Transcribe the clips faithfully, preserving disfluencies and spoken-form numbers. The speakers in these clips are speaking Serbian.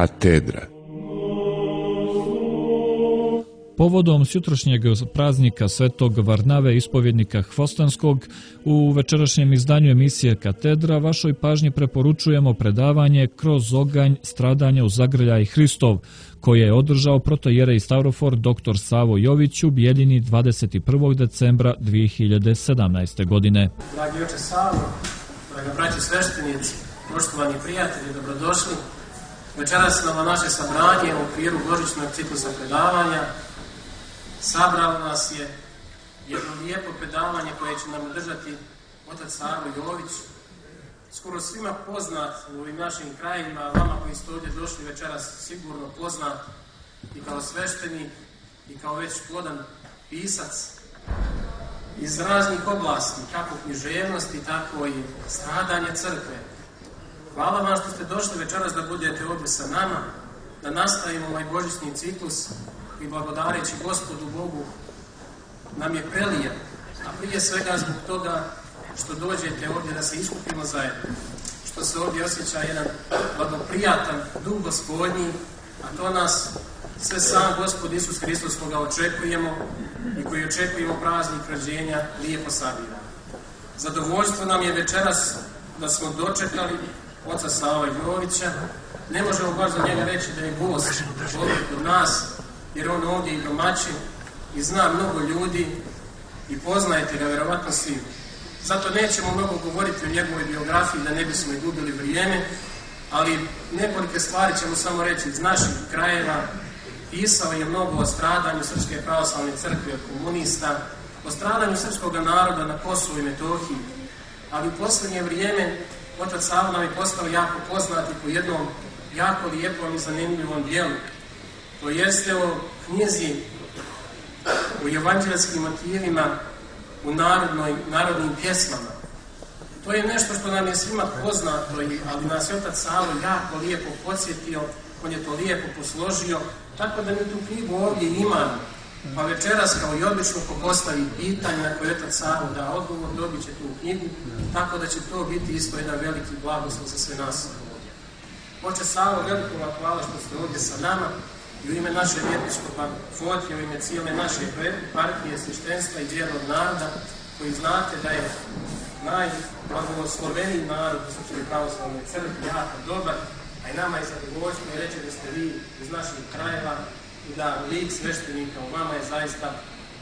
Katedra. Povodom sutrašnjeg praznika Svetog Varnave, ispovjednika Hvostanskog, u večerašnjem izdanju emisije Katedra vašoj pažnji preporučujemo predavanje Kroz oganj stradanja u zagrljaj Hristov, koje je održao protojerej Stavrofor dr. Savo Jović u Bijeljini dvadeset prvog decembra dvije hiljade sedamnaeste. godine. Dragi oče Savo, draga braći sveštenici, poštovani prijatelji, dobrodošli. Večeras na naše sabranje u okviru božićnog ciklusa predavanja sabralo nas je jedno lijepo predavanje koje će nam držati otac Savo Jović, skoro svima poznat u ovim našim krajima, a vama koji ste ovdje došli večeras sigurno poznat i kao sveštenik i kao već plodan pisac iz raznih oblasti, kako književnosti, tako i stradanje crkve. Hvala vam što ste došli večeras da budete ovdje sa nama, da nastavimo ovaj božićni ciklus i blagodareći Gospodu Bogu nam je prelijep, a prije svega zbog toga što dođete ovdje da se iskupimo zajedno, što se ovdje osjeća jedan blagoprijatan duh Gospodnji, a to nas sve sam Gospod Isus Hristos koga očekujemo i koji očekujemo praznik rođenja lijepo sabira. Zadovoljstvo nam je večeras da smo dočekali oca Sava Jovića. Ne možemo baš za njega reći da je gost ovdje kod nas, jer on ovdje i domaćin i zna mnogo ljudi i poznajete ga vjerovatno svi. Zato nećemo mnogo govoriti o njegovoj biografiji da ne bismo i gubili vrijeme, ali nekolike stvari ćemo samo reći iz naših krajeva. Pisao je mnogo o stradanju Srpske pravoslavne crkve od komunista, o stradanju srpskog naroda na Kosovu i Metohiji, ali u posljednje vrijeme otac Savo nam je postao jako poznati po jednom jako lijepom i zanimljivom dijelu. To jeste o knjizi, o evanđelskim motivima u narodnoj, narodnim pjesmama. To je nešto što nam je svima poznato, ali nas je otac Savo jako lijepo podsjetio, on je to lijepo posložio, tako da mi tu knjigu ovdje imamo. Pa večeras, kao i obično, ko postavi pitanje na koje otac Savo da odgovor, dobit će tu knjigu, tako da će to biti isto jedan veliki blagoslov za sve nas ovdje. Oče Savo, veliko vam hvala što ste ovdje sa nama i u ime našeg episkopa Fotija, u ime cijele naše partije, sveštenstva i djelog naroda, koji znate da je najblagosloveniji narod u Srpskoj pravoslavnoj crkvi, jako dobar, a i nama je zadovoljstvo i reći da ste vi iz naših krajeva i da lik sveštenika u vama je zaista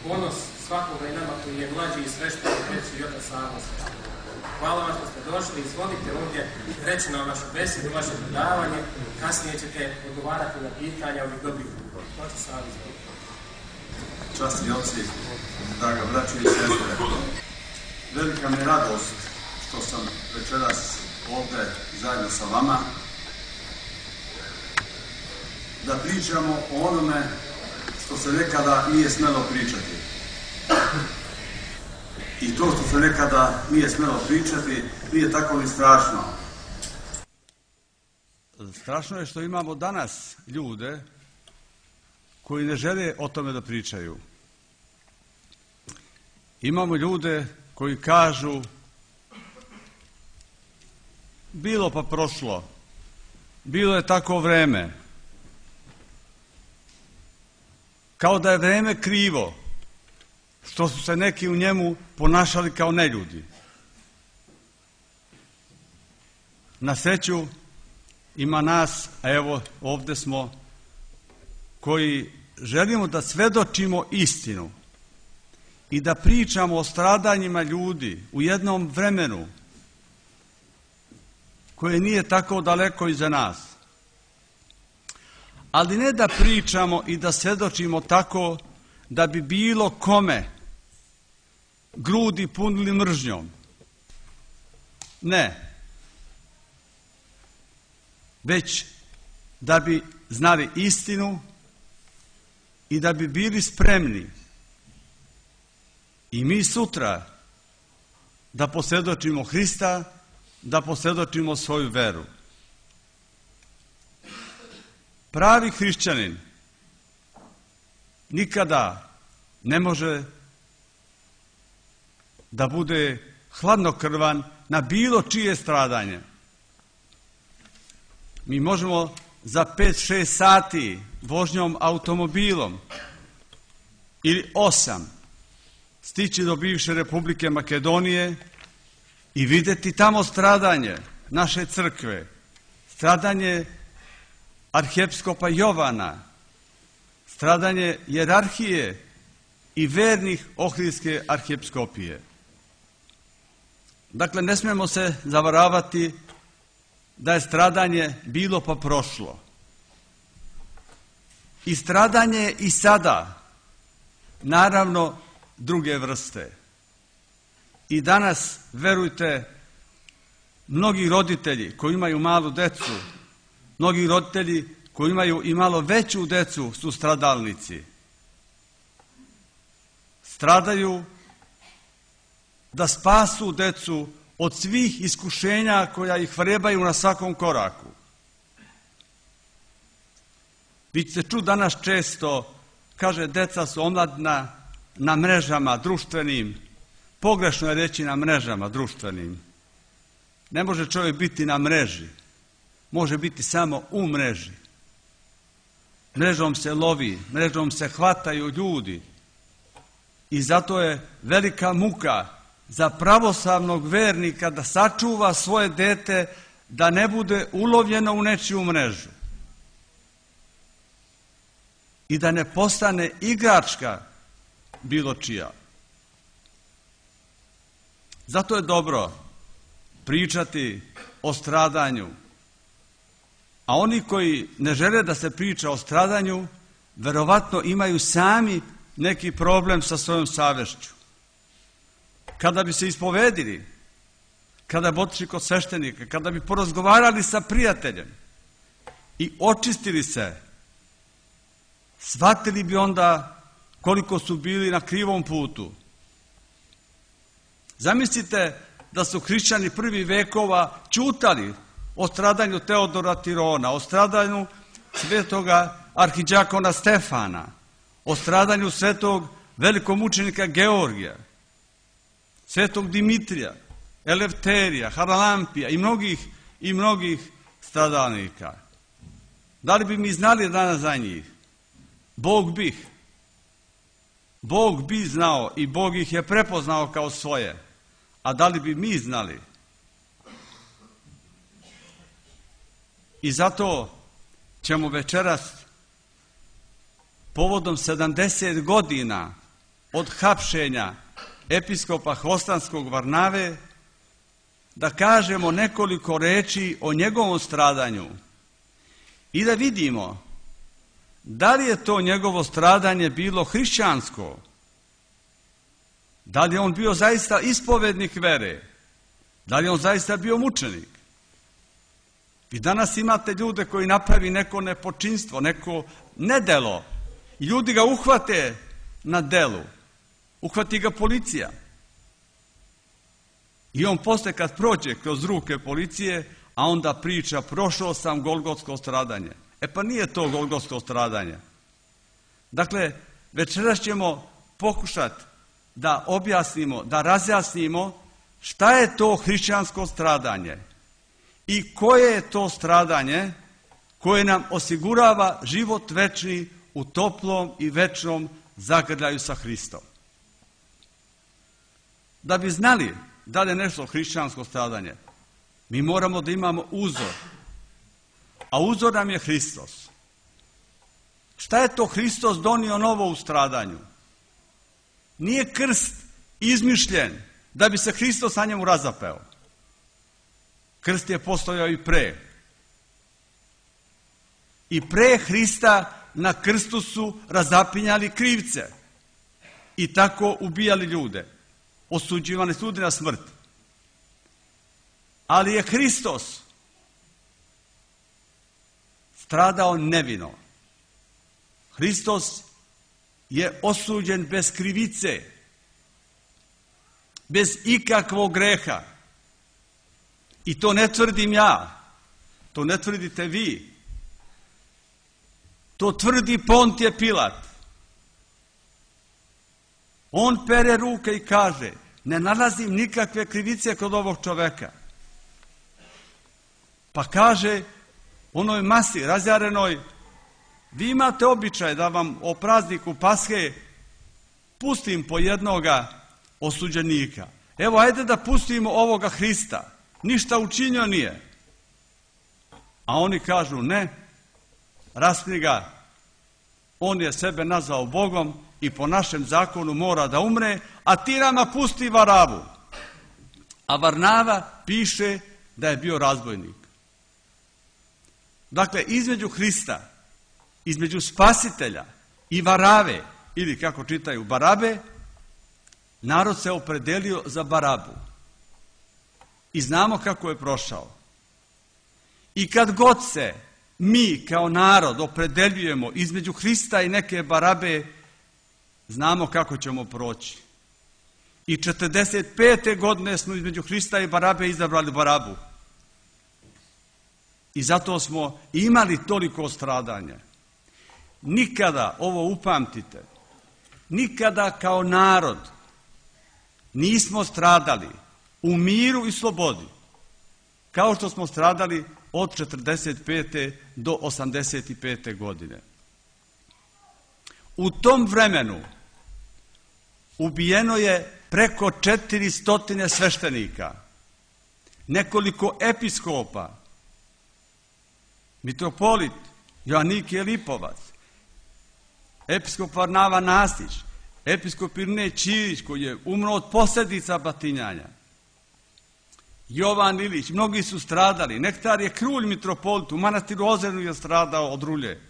ponos svakoga i nama koji je mlađi i sveštenik, reći i otac Savo sveštenik. Hvala vam što ste došli, izvolite ovdje reći nam vašu besedu, vaše predavanje, kasnije ćete odgovarati na pitanja ovih dobrih ljudi. Otac Savo, izvolite. Časni oci, draga braća i sestre, velika mi radost što sam večeras ovdje zajedno sa vama, da pričamo o onome što se nekada nije smjelo pričati. I to što se nekada nije smjelo pričati nije tako ni strašno. Strašno je što imamo danas ljude koji ne žele o tome da pričaju. Imamo ljude koji kažu bilo pa prošlo, bilo je tako vreme. Kao da je vreme krivo, što su se neki u njemu ponašali kao neljudi. Na sreću ima nas, a evo ovdje smo, koji želimo da svedočimo istinu i da pričamo o stradanjima ljudi u jednom vremenu koje nije tako daleko iza nas. Ali ne da pričamo i da svedočimo tako da bi bilo kome grudi punili mržnjom. Ne. Već da bi znali istinu i da bi bili spremni i mi sutra da posvjedočimo Hrista, da posvjedočimo svoju veru. Pravi hrišćanin nikada ne može da bude hladnokrvan na bilo čije stradanje. Mi možemo za pet šest sati vožnjom automobilom ili osam stići do bivše Republike Makedonije i vidjeti tamo stradanje naše crkve, stradanje arhiepiskopa Jovana, stradanje jerarhije i vernih Ohridske arhiepiskopije. Dakle, ne smijemo se zavaravati da je stradanje bilo pa prošlo. I stradanje je i sada, naravno, druge vrste. I danas, verujte, mnogi roditelji koji imaju malu decu, mnogi roditelji koji imaju i malo veću decu su stradalnici. Stradaju da spasu decu od svih iskušenja koja ih vrebaju na svakom koraku. Vi ćete čuti danas često, kaže, deca su omladna na mrežama društvenim. Pogrešno je reći na mrežama društvenim. Ne može čovjek biti na mreži. Može biti samo u mreži. Mrežom se lovi, mrežom se hvataju ljudi. I zato je velika muka za pravoslavnog vernika da sačuva svoje dete da ne bude ulovljeno u nečiju mrežu. I da ne postane igračka bilo čija. Zato je dobro pričati o stradanju. A oni koji ne žele da se priča o stradanju, verovatno imaju sami neki problem sa svojom savješću. Kada bi se ispovedili, kada bi otišli kod sveštenika, kada bi porazgovarali sa prijateljem i očistili se, shvatili bi onda koliko su bili na krivom putu. Zamislite da su hrišćani prvih vekova ćutali o stradanju Teodora Tirona, o stradanju svetoga arhidjakona Stefana, o stradanju svetog velikomučenika Georgija, svetog Dimitrija, Elefterija, Haralampija i mnogih i mnogih stradalnika. Da li bi mi znali danas za njih? Bog bih. Bog bi znao i Bog ih je prepoznao kao svoje. A da li bi mi znali? I zato ćemo večeras povodom sedamdeset godina od hapšenja episkopa Hvostanskog Varnave da kažemo nekoliko reči o njegovom stradanju i da vidimo da li je to njegovo stradanje bilo hrišćansko, da li je on bio zaista ispovednik vere, da li je on zaista bio mučenik. Vi danas imate ljude koji napravi neko nepočinstvo, neko nedelo i ljudi ga uhvate na delu, uhvati ga policija. I on posle kad prođe kroz ruke policije, a onda priča prošao sam golgotsko stradanje. E pa nije to golgotsko stradanje. Dakle, večeras ćemo pokušati da objasnimo, da razjasnimo šta je to hrišćansko stradanje i koje je to stradanje koje nam osigurava život večni u toplom i večnom zagrljaju sa Hristom. Da bi znali da li je nešto hrišćansko stradanje, mi moramo da imamo uzor. A uzor nam je Hristos. Šta je to Hristos donio novo u stradanju? Nije krst izmišljen da bi se Hristos na njemu razapeo. Krst je postojao i pre. I pre Hrista na krstu su razapinjali krivce i tako ubijali ljude. Osuđivani su na smrt. Ali je Hristos stradao nevino. Hristos je osuđen bez krivice, bez ikakvog greha. I to ne tvrdim ja, to ne tvrdite vi. To tvrdi Pontije Pilat. On pere ruke i kaže, ne nalazim nikakve krivice kod ovog čoveka. Pa kaže, onoj masi razjarenoj, vi imate običaj da vam o prazniku Pashe pustim po jednoga osuđenika. Evo, ajde da pustimo ovoga Hrista, ništa učinio nije. A oni kažu ne, raspni ga, on je sebe nazvao Bogom i po našem zakonu mora da umre, a ti nama pusti Varavu. A Varnava piše da je bio razbojnik. Dakle, između Hrista, između Spasitelja i Varave, ili kako čitaju Barabe, narod se opredelio za Barabu. I znamo kako je prošao. I kad god se mi kao narod opredeljujemo između Hrista i neke Barabe, znamo kako ćemo proći. I četrdeset pete godine smo između Hrista i Barabe izabrali Barabu. I zato smo imali toliko stradanja. Nikada, ovo upamtite, nikada kao narod nismo stradali u miru i slobodi, kao što smo stradali od četrdeset pete do osamdeset pete godine. U tom vremenu ubijeno je preko četiristo sveštenika, nekoliko episkopa, mitropolit Joannikije Lipovac, episkop Varnava Nastić, episkop Irinej Ćirić koji je umro od posljedica batinjanja, Jovan Ilić, mnogi su stradali, Nektar je Krulj mitropolit, u manastiru Ozernu je stradao od rulje,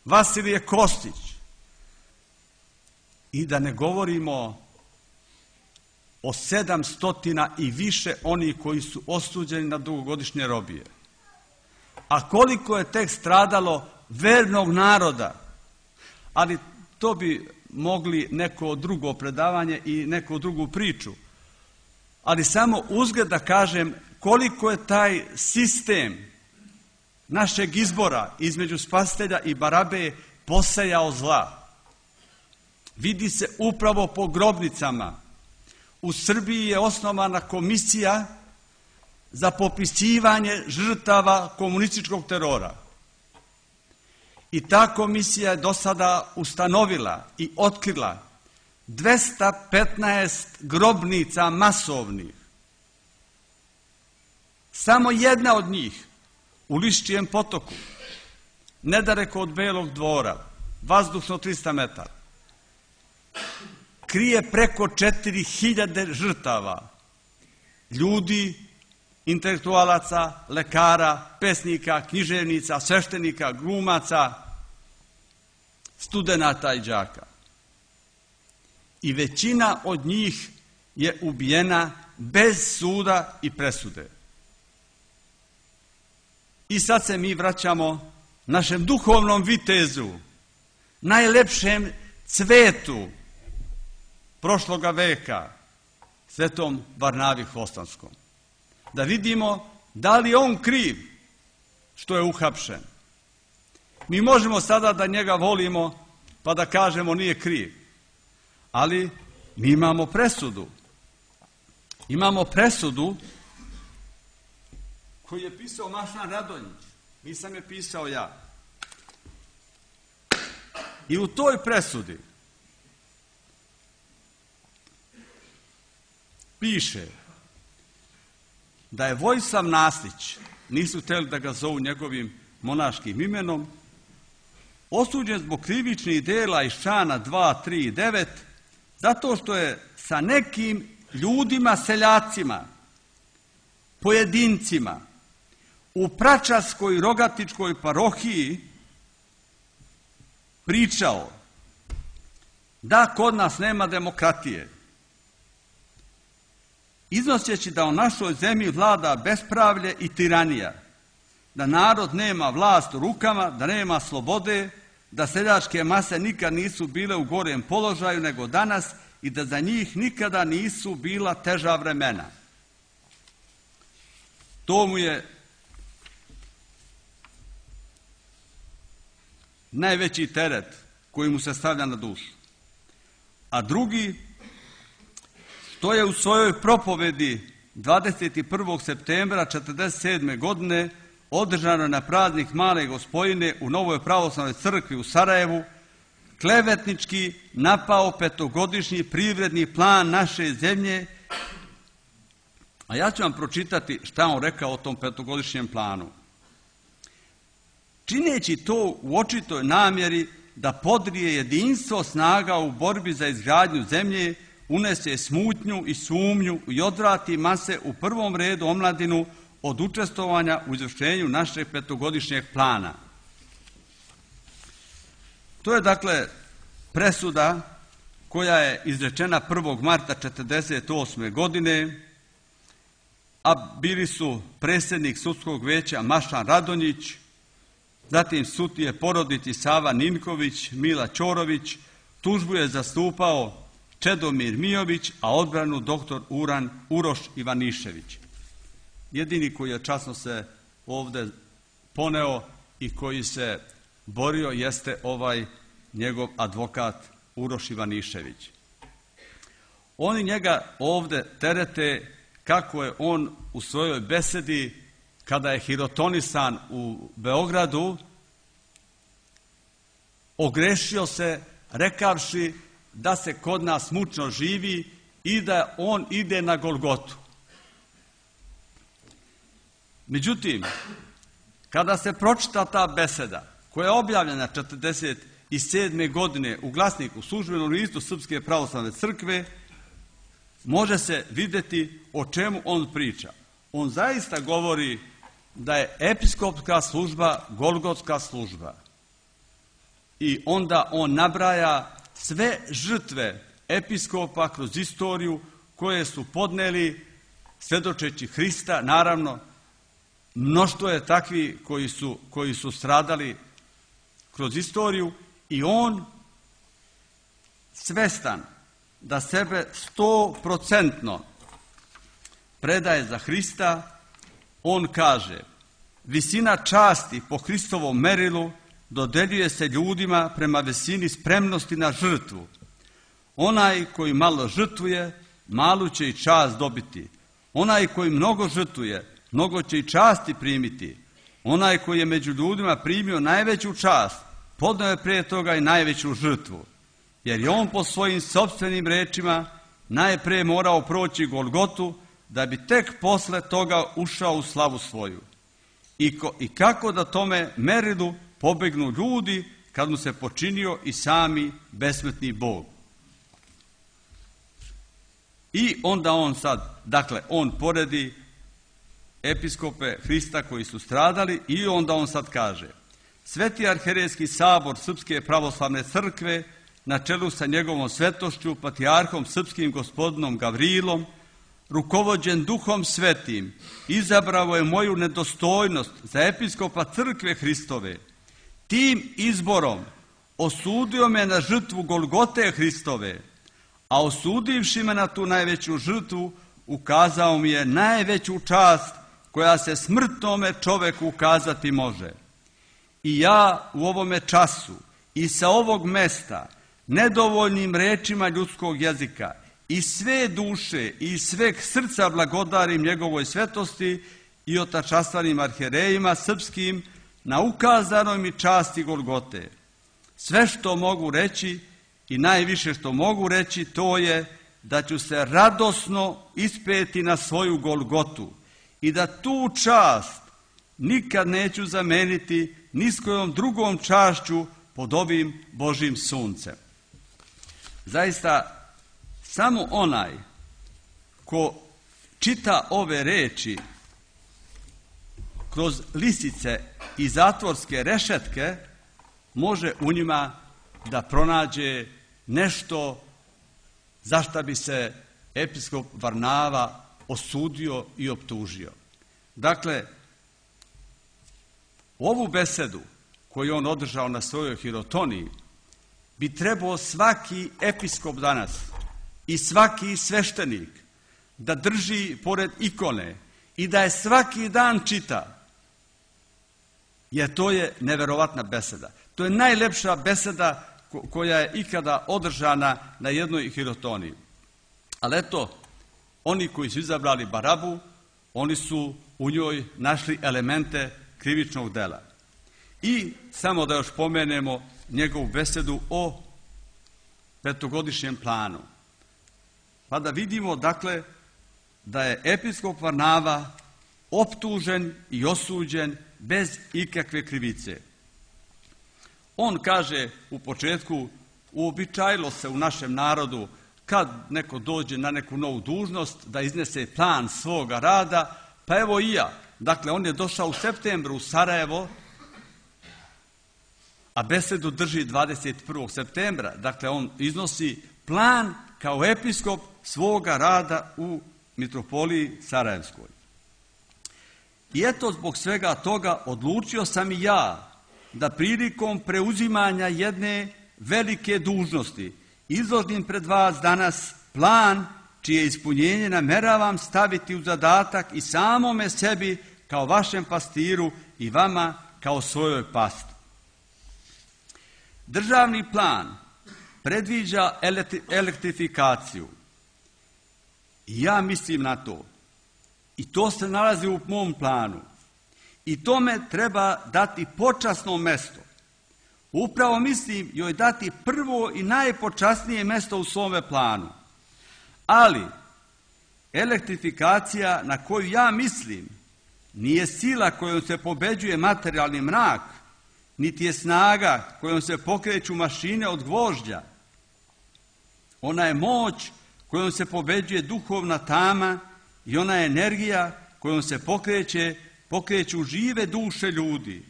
Vasilije Kostić, i da ne govorimo o sedamstotina i više onih koji su osuđeni na dugogodišnje robije. A koliko je tek stradalo vernog naroda, ali to bi mogli neko drugo predavanje i neku drugu priču. Ali samo uzgled da kažem koliko je taj sistem našeg izbora između Spasitelja i Barabe posejao zla. Vidi se upravo po grobnicama. U Srbiji je osnovana komisija za popisivanje žrtava komunističkog terora. I ta komisija je do sada ustanovila i otkrila dvesta petnaest grobnica masovnih. Samo jedna od njih u Liščijem potoku, nedaleko od Belog dvora, vazdušno trista metara, krije preko četiri hiljade žrtava, ljudi, intelektualaca, lekara, pesnika, književnica, sveštenika, glumaca, studenata i đaka. I većina od njih je ubijena bez suda i presude. I sad se mi vraćamo našem duhovnom vitezu, najlepšem cvetu prošloga veka, svetom Varnavi Hvostanskom. Da vidimo da li je on kriv što je uhapšen. Mi možemo sada da njega volimo pa da kažemo nije kriv. Ali mi imamo presudu. Imamo presudu koju je pisao Mašan Radonjić. Nisam je pisao ja. I u toj presudi piše da je Vojislav Nastić, nisu htjeli da ga zovu njegovim monaškim imenom, osuđen zbog krivičnih dela iz člana dva, tri i devet, zato što je sa nekim ljudima, seljacima, pojedincima, u Pračarskoj Rogatičkoj parohiji pričao da kod nas nema demokratije, iznoseći da u našoj zemlji vlada bespravlje i tiranija, da narod nema vlast u rukama, da nema slobode, da seljačke mase nikad nisu bile u gorem položaju nego danas i da za njih nikada nisu bila teža vremena. To mu je najveći teret koji mu se stavlja na dušu. A drugi, to je u svojoj propovedi dvadeset prvog septembra četrdeset sedme godine održano na praznik Male Gospojine u Novoj pravoslavnoj crkvi u Sarajevu, klevetnički napao petogodišnji privredni plan naše zemlje. A ja ću vam pročitati šta on rekao o tom petogodišnjem planu. Čineći to u očitoj namjeri da podrije jedinstvo snaga u borbi za izgradnju zemlje, unese smutnju i sumnju i odvrati mase, u prvom redu omladinu, od učestvovanja u izvršenju našeg petogodišnjeg plana. To je dakle presuda koja je izrečena prvog marta četrdeset osme. godine, a bili su predsjednik sudskog veća Mašan Radonjić, zatim sudije porodici Sava Ninković, Mila Ćorović, tužbu je zastupao Čedomir Mijović, a odbranu doktor Uran, Uroš Ivanišević. Jedini koji je časno se ovdje poneo i koji se borio jeste ovaj njegov advokat Uroš Ivanišević. Oni njega ovdje terete kako je on u svojoj besedi, kada je hirotonisan u Beogradu, ogrešio se rekavši da se kod nas mučno živi i da on ide na Golgotu. Međutim, kada se pročita ta beseda, koja je objavljena četrdeset sedme. godine u Glasniku, službenom listu Srpske pravoslavne crkve, može se vidjeti o čemu on priča. On zaista govori da je episkopska služba golgotska služba. I onda on nabraja sve žrtve episkopa kroz istoriju koje su podneli svjedočeći Hrista. Naravno, mnoštvo je takvi koji su, koji su stradali kroz istoriju, i on svestan da sebe stoprocentno predaje za Hrista, on kaže: visina časti po Hristovom merilu dodeljuje se ljudima prema visini spremnosti na žrtvu. Onaj koji malo žrtvuje, malu će i čast dobiti. Onaj koji mnogo žrtvuje, mnogo će i časti primiti. Onaj koji je među ljudima primio najveću čast, podnio je prije toga i najveću žrtvu. Jer je on po svojim sopstvenim rečima najprije morao proći Golgotu, da bi tek posle toga ušao u slavu svoju. I, ko, i kako da tome merilu pobegnu ljudi kad mu se počinio i sami besmrtni Bog. I onda on sad, dakle, on poredi episkope Hrista koji su stradali, i onda on sad kaže: Sveti arhijerejski sabor Srpske pravoslavne crkve na čelu sa njegovom svetošću, patrijarhom srpskim gospodinom Gavrilom, rukovođen Duhom Svetim, izabrao je moju nedostojnost za episkopa crkve Hristove. Tim izborom osudio me na žrtvu Golgote Hristove, a osudivši me na tu najveću žrtvu, ukazao mi je najveću čast koja se smrtnome čoveku ukazati može. I ja u ovome času i sa ovog mesta, nedovoljnim rečima ljudskog jezika, i sve duše i sveg srca blagodarim njegovoj svetosti i otačastvanim arhijerejima srpskim na ukazanoj mi časti Golgote. Sve što mogu reći i najviše što mogu reći, to je da ću se radosno ispeti na svoju Golgotu i da tu čast nikad neću zameniti ni s kojom drugom čašću pod ovim Božim suncem. Zaista, samo onaj ko čita ove reči kroz lisice i zatvorske rešetke, može u njima da pronađe nešto za šta bi se episkop Varnava osudio i optužio. Dakle, ovu besedu koju on održao na svojoj hirotoniji bi trebao svaki episkop danas i svaki sveštenik da drži pored ikone i da je svaki dan čita, jer to je neverovatna beseda. To je najlepša beseda koja je ikada održana na jednoj hirotoniji. Ali eto, oni koji su izabrali Barabu, oni su u njoj našli elemente krivičnog dela. I samo da još pomenemo njegovu besedu o petogodišnjem planu. Pa da vidimo, dakle, da je episkop Varnava optužen i osuđen bez ikakve krivice. On kaže u početku, uobičajilo se u našem narodu kad neko dođe na neku novu dužnost da iznese plan svoga rada, pa evo i ja. Dakle, on je došao u septembru u Sarajevo, a besedu drži dvadeset prvog septembra. Dakle, on iznosi plan kao episkop svoga rada u mitropoliji Sarajevskoj. I eto, zbog svega toga odlučio sam i ja da prilikom preuzimanja jedne velike dužnosti izložim pred vas danas plan čije ispunjenje nameravam staviti u zadatak i samome sebi kao vašem pastiru i vama kao svojoj pasti. Državni plan predviđa elektrifikaciju. I ja mislim na to. I to se nalazi u mom planu. I tome treba dati počasno mesto. Upravo mislim joj dati prvo i najpočasnije mesto u svome planu. Ali elektrifikacija na koju ja mislim nije sila kojom se pobeđuje materijalni mrak, niti je snaga kojom se pokreću mašine od gvožđa. Ona je moć kojom se pobeđuje duhovna tama i ona je energija kojom se pokreće, pokreću žive duše ljudi.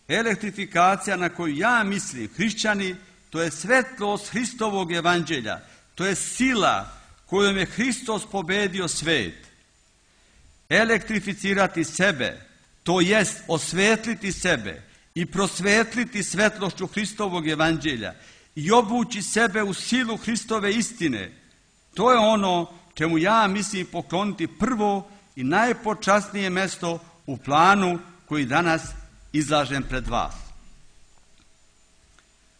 Elektrifikacija na koju ja mislim, hrišćani, to je svetlost Hristovog evanđelja, to je sila kojom je Hristos pobedio svet. Elektrificirati sebe, to jest osvetliti sebe i prosvetliti svetlošću Hristovog evanđelja i obući sebe u silu Hristove istine, to je ono čemu ja mislim pokloniti prvo i najpočasnije mesto u planu koji danas izlažem pred vas.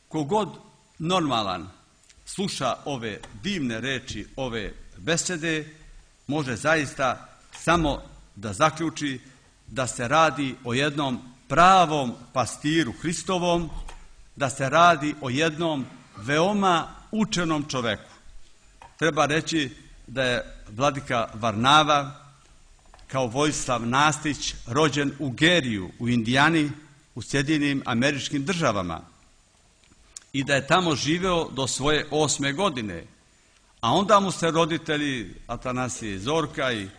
Kogod normalan sluša ove divne reči, ove besede, može zaista samo da zaključi da se radi o jednom pravom pastiru Hristovom, da se radi o jednom veoma učenom čoveku. Treba reći da je vladika Varnava kao Vojislav Nastić rođen u Geriju, u Indijani, u Sjedinjenim Američkim Državama i da je tamo živeo do svoje osme godine, a onda mu se roditelji Atanasije i Zorka i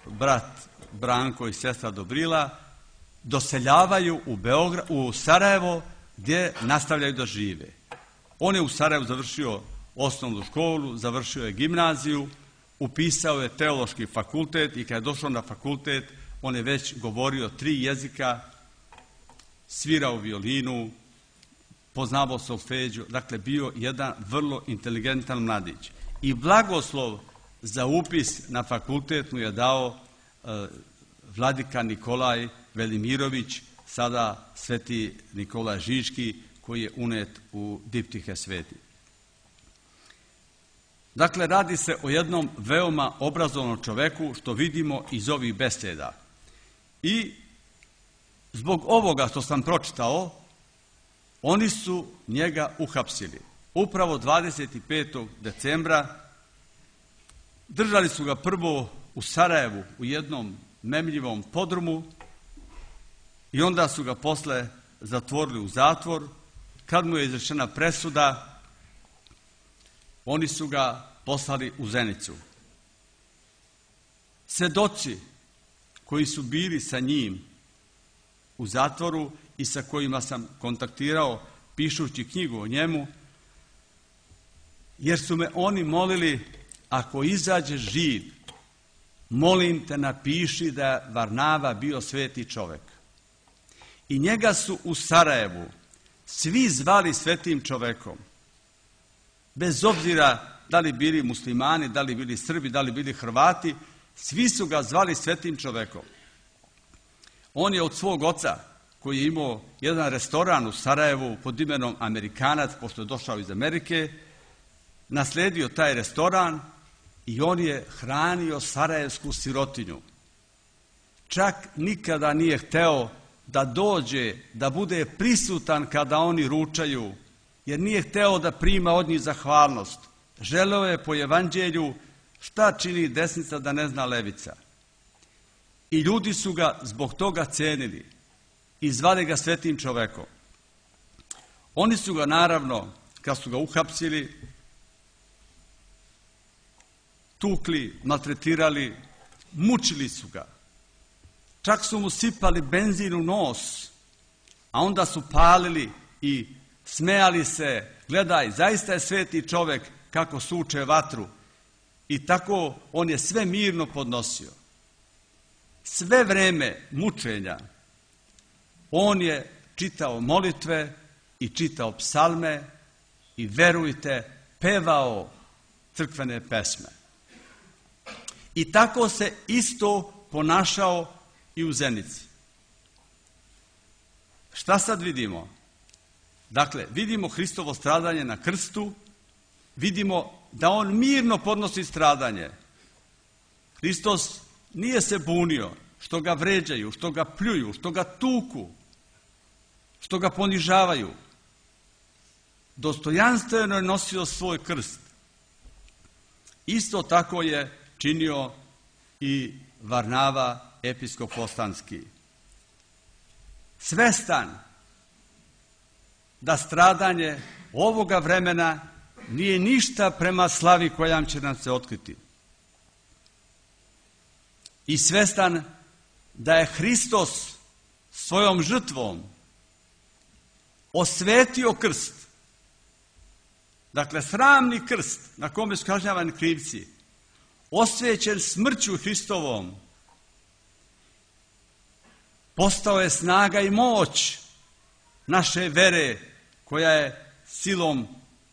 brat Branko i sestra Dobrila doseljavaju u, Beograd, u Sarajevo gdje nastavljaju da žive. On je u Sarajevu završio osnovnu školu, završio je gimnaziju, upisao je teološki fakultet i kad je došao na fakultet, on je već govorio tri jezika, svirao violinu, poznavao solfeđu, dakle bio jedan vrlo inteligentan mladić. I blagoslov za upis na fakultet mu je dao e, vladika Nikolaj Velimirović, sada sveti Nikolaj Žiški, koji je unet u diptihe sveti. Dakle, radi se o jednom veoma obrazovnom čoveku, što vidimo iz ovih beseda. I zbog ovoga što sam pročitao, oni su njega uhapsili. Upravo dvadeset petog decembra držali su ga prvo u Sarajevu u jednom memljivom podrumu i onda su ga posle zatvorili u zatvor. Kad mu je izrečena presuda, oni su ga poslali u Zenicu. Svedoci koji su bili sa njim u zatvoru i sa kojima sam kontaktirao pišući knjigu o njemu, jer su me oni molili, ako izađeš živ, molim te napiši da je Varnava bio sveti čovek. I njega su u Sarajevu svi zvali svetim čovekom. Bez obzira da li bili muslimani, da li bili Srbi, da li bili Hrvati, svi su ga zvali svetim čovekom. On je od svog oca, koji je imao jedan restoran u Sarajevu pod imenom Amerikanac, pošto je došao iz Amerike, nasledio taj restoran i on je hranio sarajevsku sirotinju. Čak nikada nije hteo da dođe, da bude prisutan kada oni ručaju, jer nije hteo da prima od njih zahvalnost. Želeo je po evanđelju šta čini desnica da ne zna levica. I ljudi su ga zbog toga cenili i zvali ga svetim čovekom. Oni su ga naravno, kad su ga uhapsili, tukli, maltretirali, mučili su ga. Čak su mu sipali benzin u nos, a onda su palili i smejali se. Gledaj, zaista je sveti čovek kako suče vatru. I tako on je sve mirno podnosio. Sve vreme mučenja on je čitao molitve i čitao psalme i, verujte, pevao crkvene pesme. I tako se isto ponašao i u Zenici. Šta sad vidimo? Dakle, vidimo Hristovo stradanje na krstu, vidimo da on mirno podnosi stradanje. Hristos nije se bunio što ga vređaju, što ga pljuju, što ga tuku, što ga ponižavaju. Dostojanstveno je nosio svoj krst. Isto tako je činio i Varnava, episkop Fostanski. Svestan da stradanje ovoga vremena nije ništa prema slavi koja će nam se otkriti. I svestan da je Hristos svojom žrtvom osvetio krst. Dakle, sramni krst na kome su kažnjavani krivci, osvećen smrću Hristovom, postao je snaga i moć naše vere koja je silom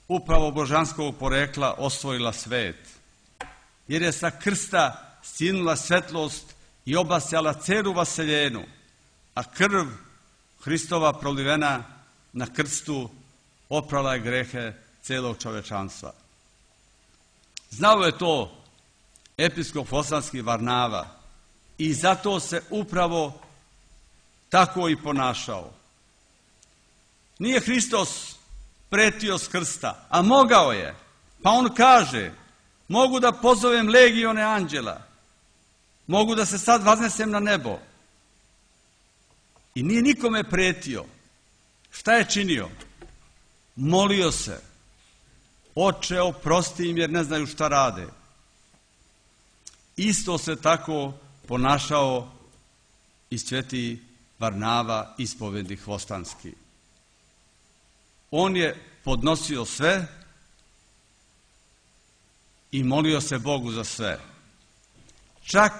upravo božanskog porekla osvojila svet. Jer je sa krsta sinula svetlost i obasjala celu vaseljenu, a krv Hristova prolivena na krstu oprala je grehe celog čovečanstva. Znao je to episkop Fostanski Varnava i zato se upravo tako i ponašao. Nije Hristos pretio s krsta, a mogao je. Pa on kaže, mogu da pozovem legione anđela, mogu da se sad vaznesem na nebo. I nije nikome pretio. Šta je činio? Molio se. Oče, oprosti im jer ne znaju šta rade. Isto se tako ponašao i sveti Varnava, ispovednik Fostanski. On je podnosio sve i molio se Bogu za sve. Čak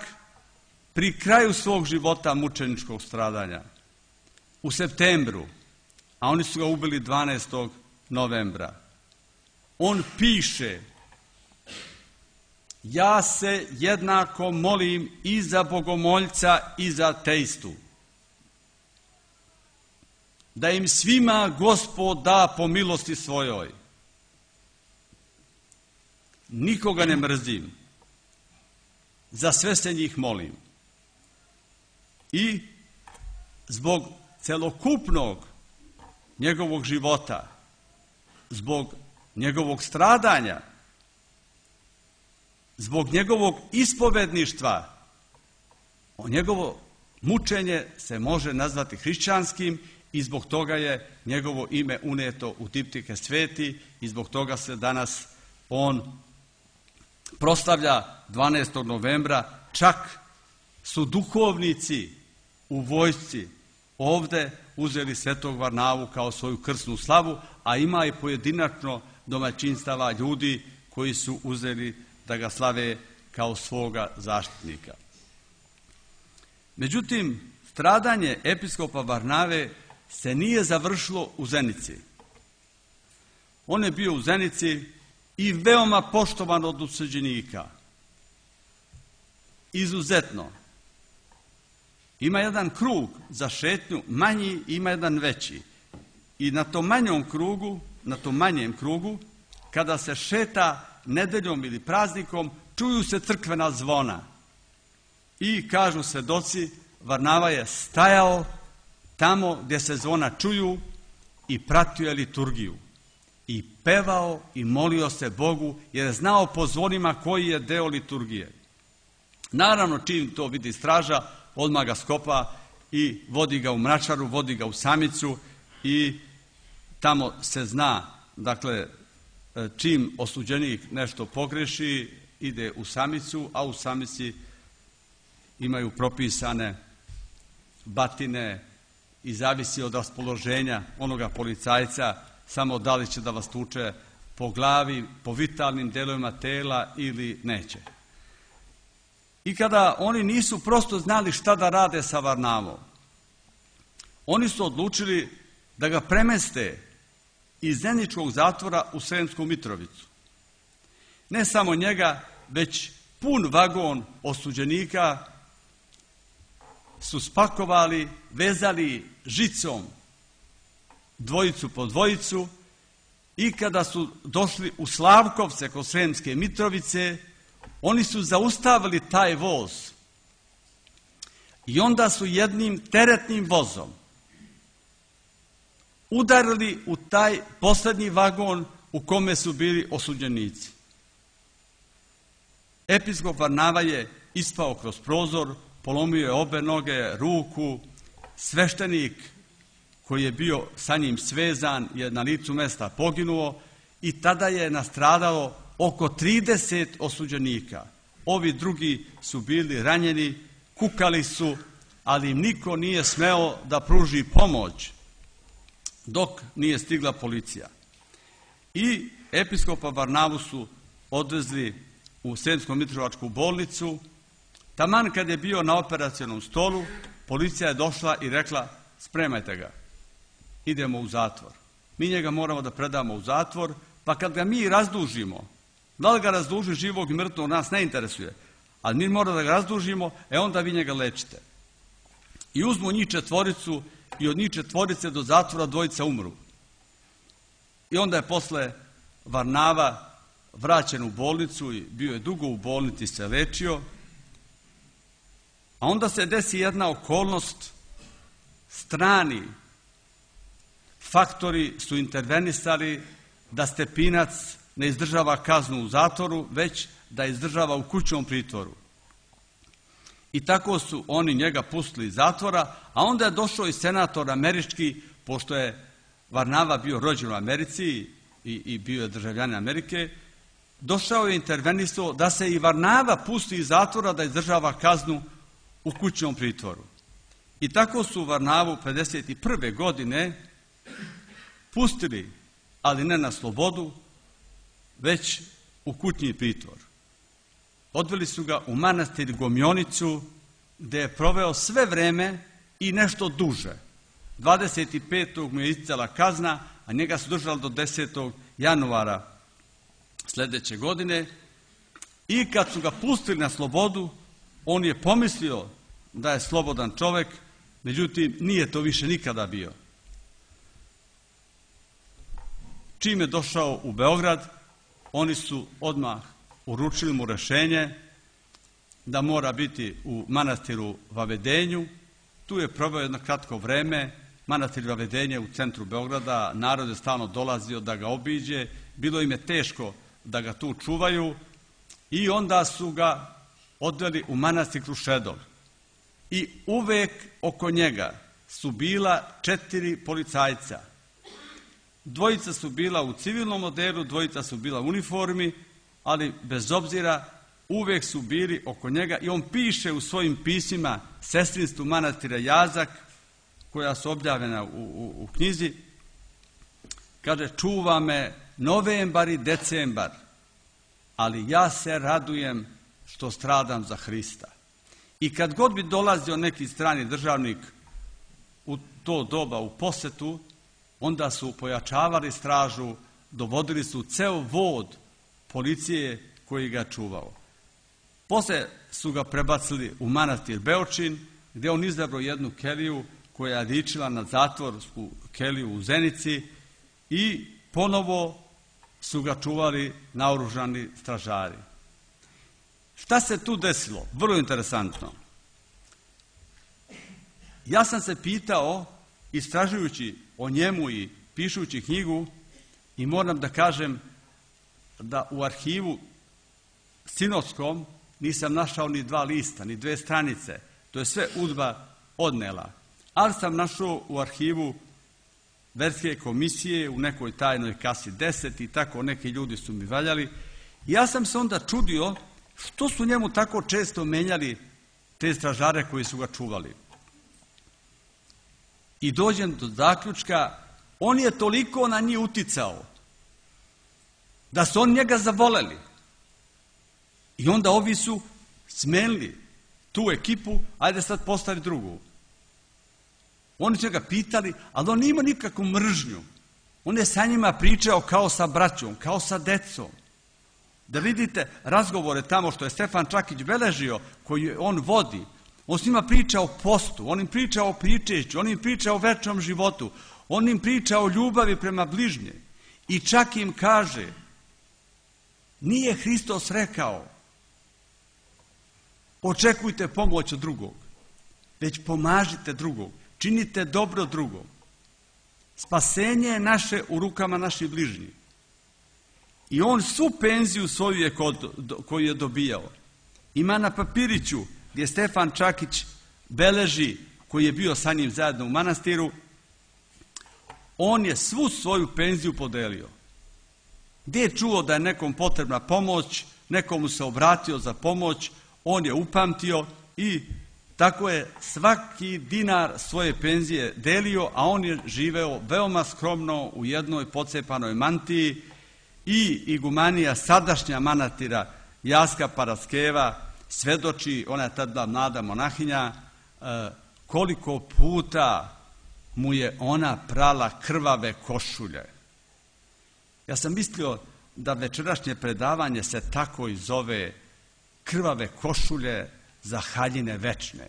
pri kraju svog života mučeničkog stradanja, u septembru, a oni su ga ubili dvanaestog novembra, on piše: ja se jednako molim i za bogomoljca i za ateistu, da im svima Gospod da po milosti svojoj. Nikoga ne mrzim, za sve se njih molim. I zbog celokupnog njegovog života, zbog njegovog stradanja, zbog njegovog ispovedništva, o njegovo mučenje se može nazvati hrišćanskim i zbog toga je njegovo ime uneto u diptike sveti i zbog toga se danas on proslavlja dvanaestog novembra. Čak su duhovnici u vojsci ovde uzeli svetog Varnavu kao svoju krsnu slavu, a ima i pojedinačno domaćinstava ljudi koji su uzeli da ga slave kao svoga zaštitnika. Međutim, stradanje episkopa Varnave se nije završilo u Zenici. On je bio u Zenici i veoma poštovan od osuđenika. Izuzetno. Ima jedan krug za šetnju, manji, ima jedan veći. I na tom manjom krugu, na tom manjem krugu, kada se šeta nedeljom ili praznikom, čuju se crkvena zvona. I kažu svedoci, Varnava je stajao tamo gdje se zvona čuju i pratio je liturgiju. I pevao i molio se Bogu jer je znao po zvonima koji je deo liturgije. Naravno, čim to vidi straža, odmah ga skopa i vodi ga u mračaru, vodi ga u samicu i tamo se zna, dakle, čim osuđenik nešto pogreši, ide u samicu, a u samici imaju propisane batine i zavisi od raspoloženja onoga policajca, samo da li će da vas tuče po glavi, po vitalnim delovima tela ili neće. I kada oni nisu prosto znali šta da rade sa Varnavom, oni su odlučili da ga premeste iz Zeničkog zatvora u Sremsku Mitrovicu. Ne samo njega, već pun vagon osuđenika su spakovali, vezali žicom dvojicu po dvojicu i kada su došli u Slavkovce kod Sremske Mitrovice, oni su zaustavili taj voz i onda su jednim teretnim vozom udarili u taj posljednji vagon u kome su bili osuđenici. Episkop Varnava je ispao kroz prozor, polomio je obe noge, ruku, sveštenik koji je bio sa njim svezan je na licu mesta poginuo i tada je nastradalo oko trideset osuđenika. Ovi drugi su bili ranjeni, kukali su, ali im niko nije smeo da pruži pomoć dok nije stigla policija. I episkopa Varnavu su odvezli u Sremsko-Mitrovačku bolnicu. Taman kad je bio na operacionom stolu, policija je došla i rekla: spremajte ga, idemo u zatvor. Mi njega moramo da predamo u zatvor, pa kad ga mi razdužimo, da li ga razduži živog i mrtvog, nas ne interesuje, ali mi moramo da ga razdužimo, e onda vi njega lečite. I uzmu njih četvoricu i od njih četvorice do zatvora dvojica umru. I onda je posle Varnava vraćen u bolnicu i bio je dugo u bolnici, se lečio. A onda se desi jedna okolnost, strani faktori su intervenisali da Stepinac ne izdržava kaznu u zatvoru, već da izdržava u kućnom pritvoru. I tako su oni njega pustili iz zatvora, a onda je došao i senator američki, pošto je Varnava bio rođen u Americi i, i bio je državljanin Amerike, došao je intervenisao da se i Varnava pusti iz zatvora da izdržava kaznu u kućnom pritvoru. I tako su Varnavu pedeset prve godine pustili, ali ne na slobodu, već u kućni pritvor. Odveli su ga u manastir Gomjonicu, gdje je proveo sve vreme i nešto duže. dvadeset petog mu je isticala kazna, a njega su držali do desetog januara sljedeće godine. I kad su ga pustili na slobodu, on je pomislio da je slobodan čovjek, međutim nije to više nikada bio. Čim je došao u Beograd, oni su odmah uručili mu rješenje da mora biti u manastiru Vavedenju. Tu je proveo jedno kratko vreme. Manastir Vavedenje u centru Beograda, narod je stalno dolazio da ga obiđe, bilo im je teško da ga tu čuvaju i onda su ga odveli u manastir Krušedol. I uvek oko njega su bila četiri policajca. Dvojica su bila u civilnom odelu, dvojica su bila u uniformi, ali bez obzira uvek su bili oko njega i on piše u svojim pismima Sestrinstvu manastira Jazak, koja su objavljena u, u, u knjizi, kaže: čuva me novembar i decembar, ali ja se radujem što stradam za Hrista. I kad god bi dolazio neki strani državnik u to doba u posetu, onda su pojačavali stražu, dovodili su ceo vod policije koji ga čuvao. Poslije su ga prebacili u manastir Beočin, gdje on izabrao jednu keliju koja je ličila na zatvorsku keliju u Zenici i ponovo su ga čuvali naoružani stražari. Šta se tu desilo? Vrlo interesantno. Ja sam se pitao istražujući o njemu i pišući knjigu, i moram da kažem da u arhivu sinodskom nisam našao ni dva lista, ni dve stranice. To je sve UDBA odnela. Ali sam našao u arhivu verske komisije u nekoj tajnoj kasi deset i tako neki ljudi su mi valjali. Ja sam se onda čudio što su njemu tako često menjali te stražare koji su ga čuvali. I dođem do zaključka, on je toliko na njih uticao da su on njega zavoleli. I onda ovi su smenili tu ekipu, ajde sad postavi drugu. Oni su ga pitali, ali on nije imao nikakvu mržnju. On je sa njima pričao kao sa braćom, kao sa decom. Da vidite razgovore tamo što je Stefan Čakić beležio, koji on vodi. On s njima priča o postu, on im priča o pričešću, on im priča o večnom životu, on im priča o ljubavi prema bližnje. I čak im kaže, nije Hristos rekao, očekujte pomoć od drugog, već pomažite drugog, činite dobro drugom. Spasenje je naše u rukama naših bližnjih. I on svu penziju svoju je kod, koju je dobijao. Ima na papiriću gdje Stefan Čakić beleži, koji je bio sa njim zajedno u manastiru, on je svu svoju penziju podelio. Gdje je čuo da je nekom potrebna pomoć, nekomu se obratio za pomoć, on je upamtio i tako je svaki dinar svoje penzije delio, a on je živeo veoma skromno u jednoj pocepanoj mantiji. I igumanija sadašnja manastira Jaska Paraskeva svedoči, ona je tada mlada monahinja, koliko puta mu je ona prala krvave košulje. Ja sam mislio da večerašnje predavanje se tako i zove krvave košulje za haljine večne.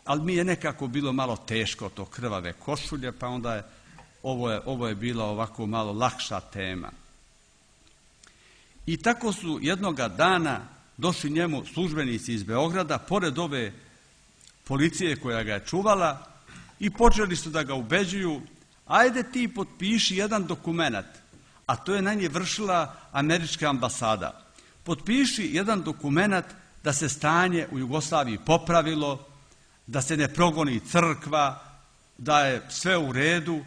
Ali mi je nekako bilo malo teško to krvave košulje, pa onda je ovo je, ovo je bila ovako malo lakša tema. I tako su jednoga dana došli njemu službenici iz Beograda, pored ove policije koja ga je čuvala, i počeli su da ga ubeđuju, ajde ti potpiši jedan dokument, a to je na nje vršila američka ambasada. Potpiši jedan dokument da se stanje u Jugoslaviji popravilo, da se ne progoni crkva, da je sve u redu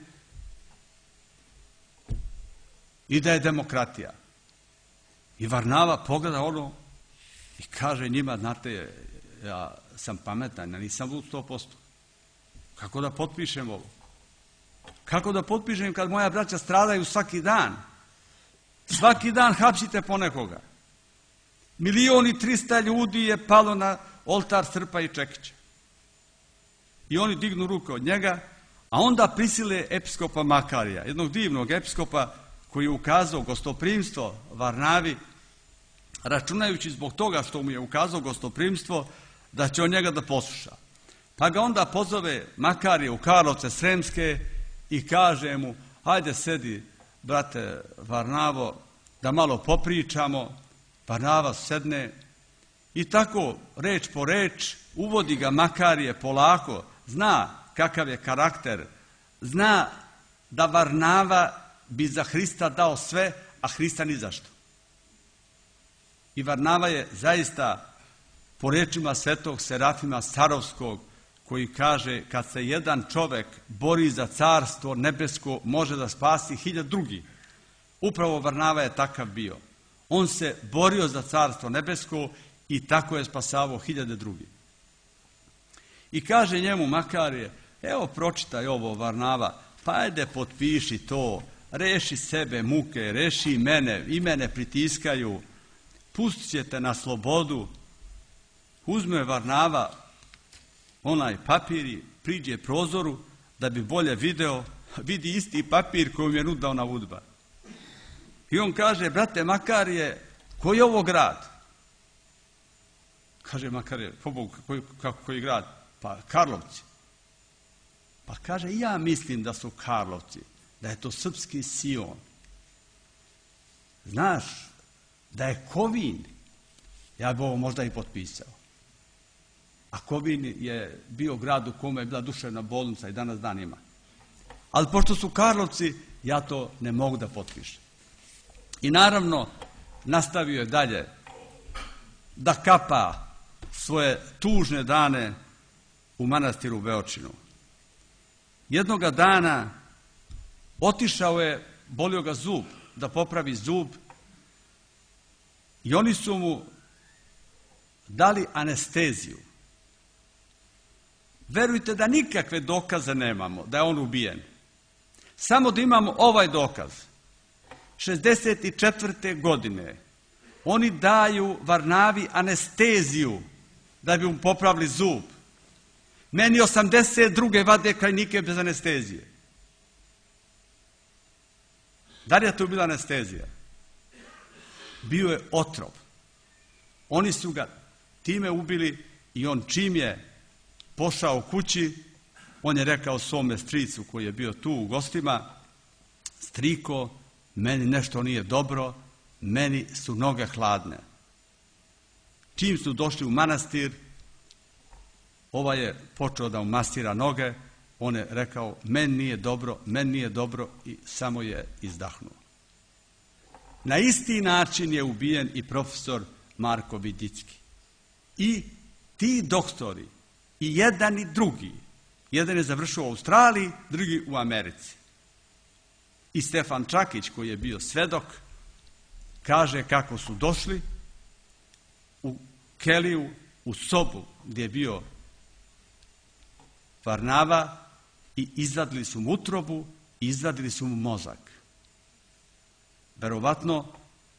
i da je demokratija. I Varnava pogleda ono i kaže njima, znate, ja sam pametan, ja nisam lud sto posto. Kako da potpišem ovo? Kako da potpišem kad moja braća stradaju svaki dan? Svaki dan hapsite po nekoga. Milion i trista ljudi je palo na oltar Srpa i Čekića. I oni dignu ruke od njega, a onda prisile episkopa Makarija, jednog divnog episkopa koji je ukazao gostoprimstvo Varnavi, računajući zbog toga što mu je ukazao gostoprimstvo, da će on njega da posluša. Pa ga onda pozove Makarije u Karlovce Sremske i kaže mu, hajde sedi, brate Varnavo, da malo popričamo. Varnava sedne i tako, reč po reč, uvodi ga Makarije polako, zna kakav je karakter, zna da Varnava bi za Hrista dao sve, a Hrista ni zašto. I Varnava je zaista, po rečima svetog Serafima Sarovskog, koji kaže, kad se jedan čovek bori za carstvo nebesko, može da spasi hiljad drugih. Upravo Varnava je takav bio. On se borio za carstvo nebesko i tako je spasavao hiljade drugih. I kaže njemu Makarije, evo pročitaj ovo Varnava, pa ajde potpiši to, reši sebe muke, reši mene, i mene pritiskaju, pustit ćete na slobodu. Uzme Varnava onaj papir i priđe prozoru da bi bolje video, vidi isti papir koji mu je nudao na UDBA. I on kaže, brate Makarije, koji je ovo grad? Kaže Makarije, po Bogu, koji, kako, koji grad? Pa Karlovci. Pa kaže, ja mislim da su Karlovci, da je to srpski Sion. Znaš, da je Kovin, ja bi ovo možda i potpisao. A Kovin je bio grad u kome je bila duševna bolnica i danas dan ima. Ali pošto su Karlovci, ja to ne mogu da potpišem. I naravno, nastavio je dalje da kapa svoje tužne dane u manastiru Beočinu. Jednoga dana otišao je, bolio ga zub, da popravi zub, i oni su mu dali anesteziju. Verujte da nikakve dokaze nemamo da je on ubijen. Samo da imamo ovaj dokaz. šezdeset četvrte godine oni daju Varnavi anesteziju da bi mu popravili zub. Meni osamdeset druge vade krajnike bez anestezije. Da li je to bila anestezija? Bio je otrov. Oni su ga time ubili i on čim je pošao kući, on je rekao svome stricu koji je bio tu u gostima: striko, meni nešto nije dobro, meni su noge hladne. Čim su došli u manastir, ovaj je počeo da mu masira noge, on je rekao: meni nije dobro, meni nije dobro, i samo je izdahnuo. Na isti način je ubijen i profesor Marko Vidicki. I ti doktori, i jedan i drugi, jedan je završio u Australiji, drugi u Americi. I Stefan Čakić, koji je bio svedok, kaže kako su došli u keliju, u sobu gdje je bio Varnava, i izvadili su mu utrobu, izvadili su mu mozak. Verovatno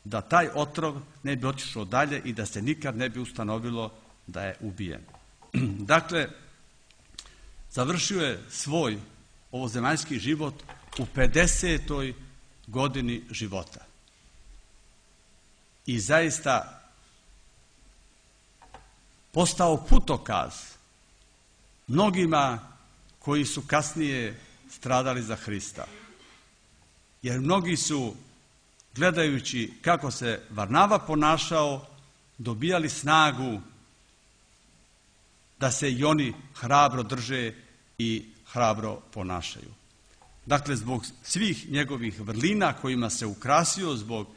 da taj otrov ne bi otišao dalje i da se nikad ne bi ustanovilo da je ubijen. Dakle, završio je svoj ovozemaljski život u pedesetoj godini života. I zaista postao putokaz mnogima koji su kasnije stradali za Hrista. Jer mnogi su, gledajući kako se Varnava ponašao, dobijali snagu da se i oni hrabro drže i hrabro ponašaju. Dakle, zbog svih njegovih vrlina kojima se ukrasio, zbog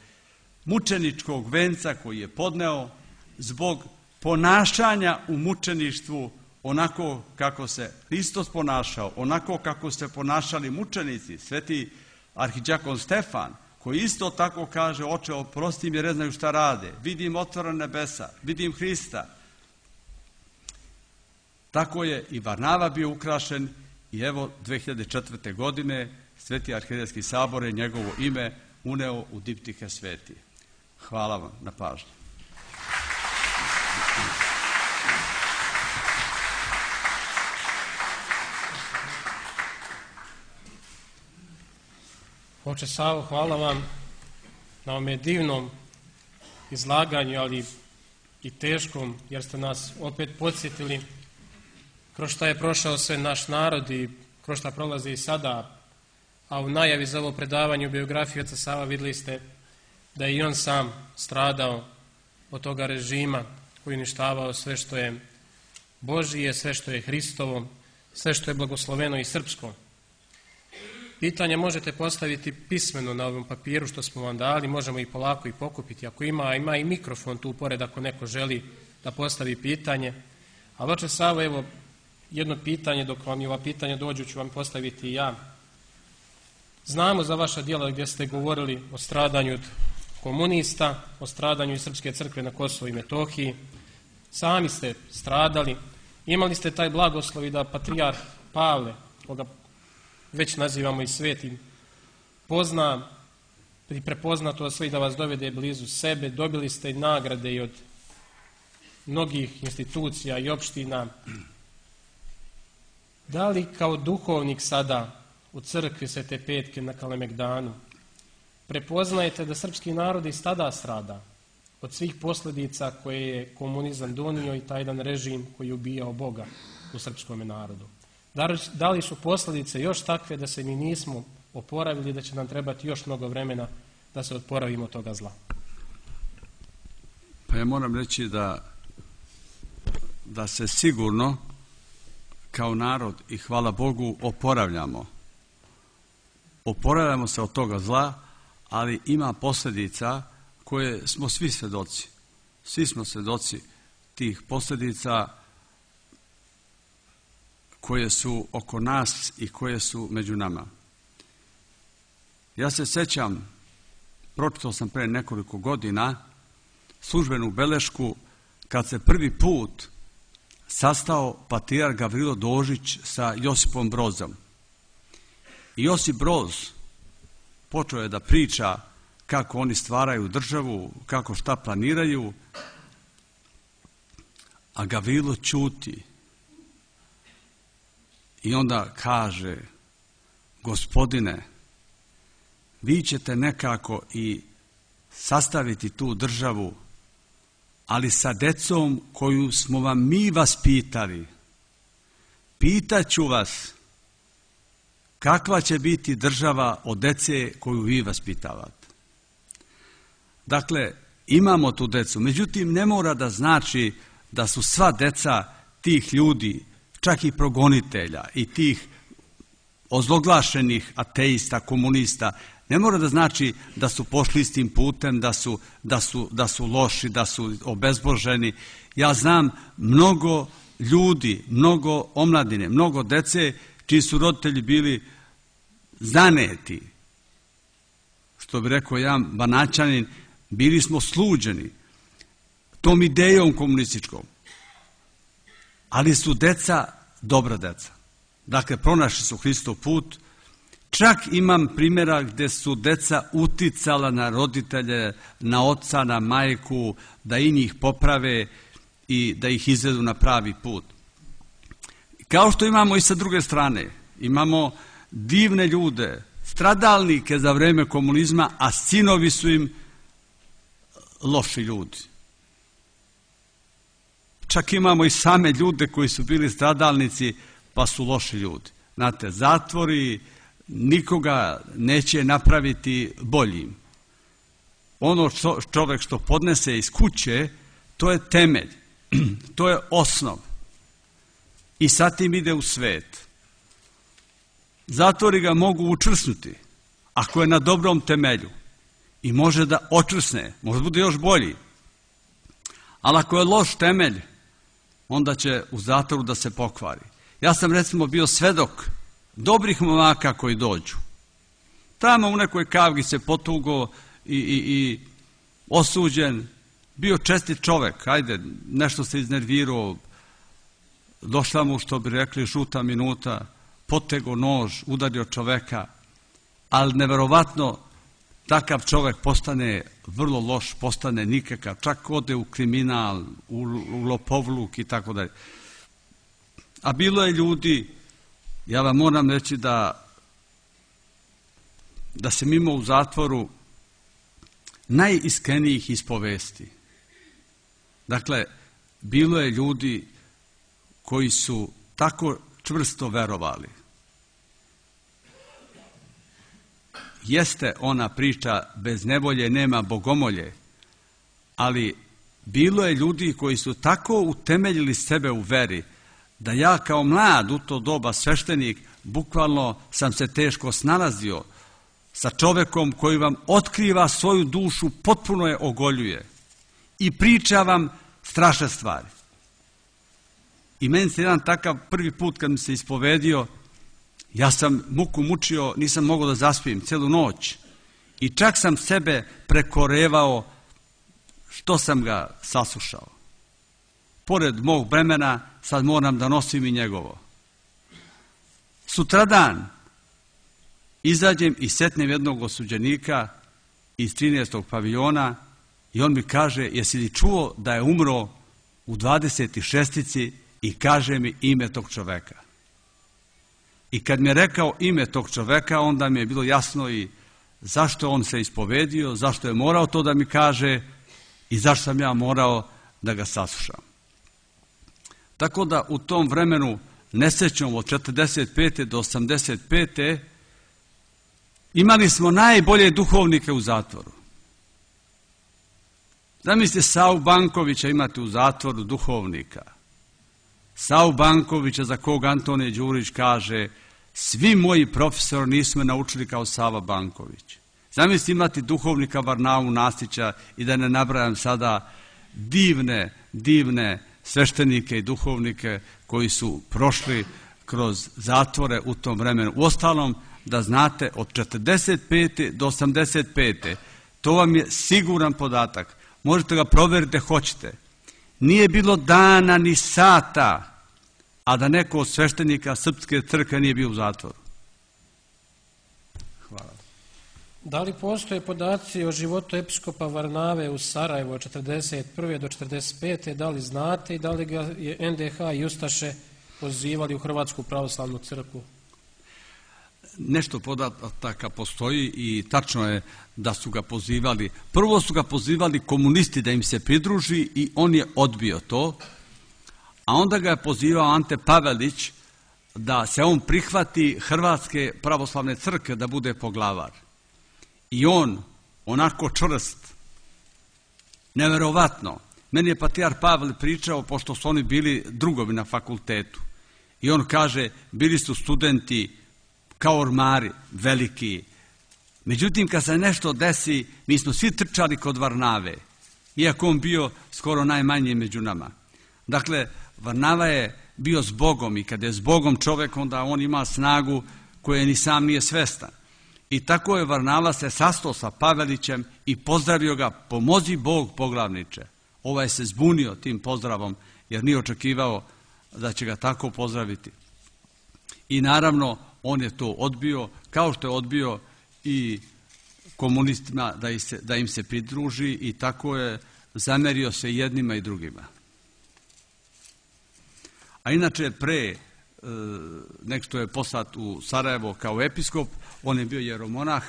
mučeničkog venca koji je podneo, zbog ponašanja u mučeništvu onako kako se Hristos ponašao, onako kako se ponašali mučenici, sveti arhidjakon Stefan, koji isto tako kaže: oče, oprosti mi jer ne znaju šta rade, vidim otvorena nebesa, vidim Hrista. Tako je i Varnava bio ukrašen, i evo dve hiljade četvrte. godine Sveti arhijerejski sabor je njegovo ime uneo u diptihe sveti. Hvala vam na pažnji. Oče Savo, hvala vam na ovome divnom izlaganju, ali i teškom, jer ste nas opet podsjetili kroz šta je prošao sve naš narod i kroz šta prolazi i sada. A u najavi za ovo predavanje u biografiji oca Sava vidjeli ste da je i on sam stradao od toga režima koji uništavao sve što je Božije, sve što je Hristovo, sve što je blagosloveno i srpsko. Pitanje možete postaviti pismeno na ovom papiru što smo vam dali, možemo i polako i pokupiti. Ako ima, ima i mikrofon tu pored ako neko želi da postavi pitanje. Ali oče Savo, evo jedno pitanje, dok vam i ova pitanja dođu ću vam postaviti i ja. Znamo za vaša djela gdje ste govorili o stradanju od komunista, o stradanju iz Srpske crkve na Kosovu i Metohiji. Sami ste stradali, imali ste taj blagoslov i da patrijarh Pavle, koga već nazivamo i svetim, pozna i prepozna to sve i da vas dovede blizu sebe. Dobili ste i nagrade i od mnogih institucija i opština. Da li kao duhovnik sada u crkvi Svete Petke na Kalemegdanu prepoznajete da srpski narod i tada strada od svih posljedica koje je komunizam donio i taj jedan režim koji je ubijao Boga u srpskom narodu? Da li su posljedice još takve da se mi nismo oporavili, da će nam trebati još mnogo vremena da se oporavimo od toga zla? Pa ja moram reći da, da se sigurno kao narod, i hvala Bogu, oporavljamo oporavljamo se od toga zla, ali ima posljedica koje smo svi svedoci. Svi smo svedoci tih posljedica koje su oko nas i koje su među nama. Ja se sjećam, pročitao sam pre nekoliko godina službenu belešku kad se prvi put sastao patrijarh Gavrilo Dožić sa Josipom Brozom. I Josip Broz počeo je da priča kako oni stvaraju državu, kako šta planiraju, a Gavrilo ćuti. I onda kaže: gospodine, vi ćete nekako i sastaviti tu državu, ali sa decom koju smo vam mi vaspitali. Pitaću vas kakva će biti država od dece koju vi vaspitavate. Dakle, imamo tu decu, međutim ne mora da znači da su sva deca tih ljudi, čak i progonitelja i tih ozloglašenih ateista, komunista, ne mora da znači da su pošli istim putem, da su, da su, da su loši, da su obezboženi. Ja znam mnogo ljudi, mnogo omladine, mnogo dece čiji su roditelji bili zaneti. Što bi rekao jedan Banaćanin, bili smo sluđeni tom idejom komunističkom. Ali su deca dobra deca. Dakle, pronašli su Hristov put. Čak imam primjera gdje su deca uticala na roditelje, na oca, na majku, da i njih poprave i da ih izvedu na pravi put. Kao što imamo i sa druge strane, imamo divne ljude, stradalnike za vreme komunizma, a sinovi su im loši ljudi. Čak imamo i same ljude koji su bili stradalnici, pa su loši ljudi. Znate, zatvori nikoga neće napraviti boljim. Ono što čovjek što podnese iz kuće, to je temelj, to je osnov. I sa tim ide u svet. Zatvori ga mogu učvrsnuti, ako je na dobrom temelju. I može da očvrsne, može bude još bolji. Ali ako je loš temelj, onda će u zatvoru da se pokvari. Ja sam recimo bio svedok dobrih momaka koji dođu. Tamo u nekoj kavgi se potugo i, i, i osuđen, bio čestit čovek, ajde, nešto se iznervirao, došla mu, što bi rekli, žuta minuta, potego nož, udario čoveka, ali neverovatno takav čovek postane vrlo loš, postane nikakav, čak ode u kriminal, u, u lopovluk i tako dalje. A bilo je ljudi, ja vam moram reći da, da sam imao u zatvoru najiskrenijih ispovesti. Dakle, bilo je ljudi koji su tako čvrsto verovali. Jeste ona priča bez nevolje nema bogomolje, ali bilo je ljudi koji su tako utemeljili sebe u veri, da ja kao mlad u to doba sveštenik bukvalno sam se teško snalazio sa čovekom koji vam otkriva svoju dušu, potpuno je ogoljuje i priča vam strašne stvari. I meni se jedan takav prvi put kad mi se ispovedio, ja sam muku mučio, nisam mogao da zaspim celu noć i čak sam sebe prekorevao što sam ga saslušao. Pored mog bremena sad moram da nosim i njegovo. Sutradan izađem i setnem jednog osuđenika iz trinaestog paviljona i on mi kaže: jesi li čuo da je umro u dvadeset šestici, i kaže mi ime tog čoveka. I kad mi je rekao ime tog čoveka, onda mi je bilo jasno i zašto on se ispovedio, zašto je morao to da mi kaže i zašto sam ja morao da ga saslušam. Tako da u tom vremenu nesrećom od četrdeset pete do osamdeset pete imali smo najbolje duhovnike u zatvoru. Zamislite, Savu Bankovića imate u zatvoru, duhovnika. Savu Bankovića za kog Antonije Đurić kaže: Svi moji profesori nisu me naučili kao Sava Banković. Zamislite imati duhovnika Varnavu Nastića i da ne nabrajam sada divne, divne sveštenike i duhovnike koji su prošli kroz zatvore u tom vremenu. Uostalom, da znate, od četrdeset pete do osamdeset pete to vam je siguran podatak. Možete ga provjeriti, hoćete. Nije bilo dana ni sata, a da neko od sveštenika Srpske crkve nije bio u zatvoru. Hvala. Da li postoje podaci o životu episkopa Varnave u Sarajevu od četrdeset prve do četrdeset pete? Da li znate i da li ga je en de ha i ustaše pozivali u Hrvatsku pravoslavnu crkvu? Nešto podataka postoji i tačno je da su ga pozivali. Prvo su ga pozivali komunisti da im se pridruži i on je odbio to, a onda ga je pozivao Ante Pavelić da se on prihvati Hrvatske pravoslavne crkve da bude poglavar. I on, onako čvrst, neverovatno, meni je patrijar Pavle pričao, pošto su oni bili drugovi na fakultetu, i on kaže, bili su studenti kao ormari, veliki. Međutim, kad se nešto desi, mi smo svi trčali kod Varnave, iako on bio skoro najmanji među nama. Dakle, Varnava je bio s Bogom i kada je s Bogom čovjek, onda on ima snagu koje ni sam nije svestan. I tako je Varnava se sastao sa Pavelićem i pozdravio ga, pomozi Bog poglavniče. Ovaj se zbunio tim pozdravom jer nije očekivao da će ga tako pozdraviti. I naravno, on je to odbio, kao što je odbio i komunistima da im se, da im se pridruži i tako je zamerio se jednima i drugima. A inače, pre nek što je poslat u Sarajevo kao episkop, on je bio jeromonah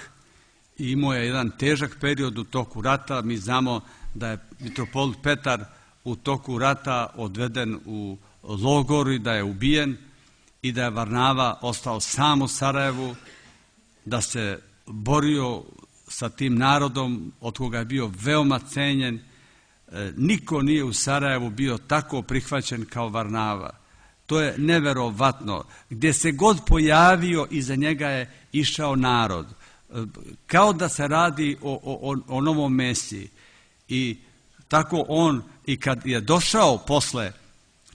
i imao je jedan težak period u toku rata. Mi znamo da je mitropolit Petar u toku rata odveden u logor i da je ubijen i da je Varnava ostao sam u Sarajevu, da se borio sa tim narodom od koga je bio veoma cenjen. Niko nije u Sarajevu bio tako prihvaćen kao Varnava. To je neverovatno. Gdje se god pojavio, iza njega je išao narod. Kao da se radi o, o, o novom Mesiji. I tako on, i kad je došao posle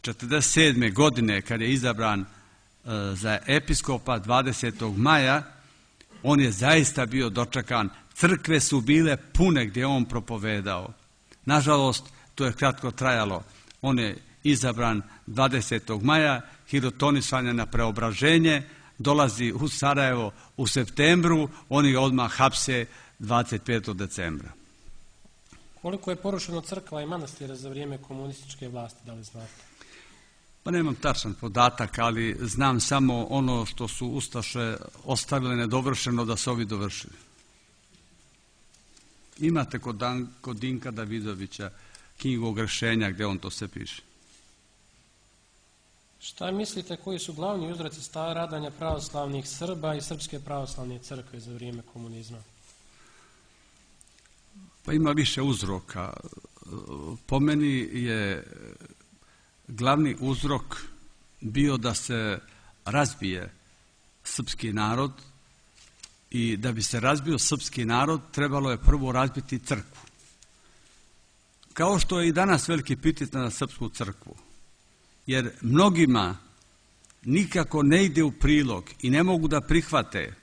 četrdeset sedme godine, kad je izabran za episkopa dvadesetog maja, on je zaista bio dočekan. Crkve su bile pune gdje on propovedao. Nažalost, to je kratko trajalo. On je izabran dvadesetog maja, hirotonisan je na preobraženje, dolazi u Sarajevo u septembru, oni ga odmah hapse dvadeset petog decembra. Koliko je porušeno crkva i manastira za vrijeme komunističke vlasti, da li znate? Pa nemam tačan podatak, ali znam samo ono što su ustaše ostavile nedovršeno da se ovi dovršili. Imate kod, Dan, kod Dinka Davidovića knjigu Ogrešenja gdje on to sve piše. Šta mislite koji su glavni uzroci stradanja pravoslavnih Srba i Srpske pravoslavne crkve za vrijeme komunizma? Pa ima više uzroka. Po meni je glavni uzrok bio da se razbije srpski narod i da bi se razbio srpski narod trebalo je prvo razbiti crkvu. Kao što je i danas veliki pritisak na srpsku crkvu. Jer mnogima nikako ne ide u prilog i ne mogu da prihvate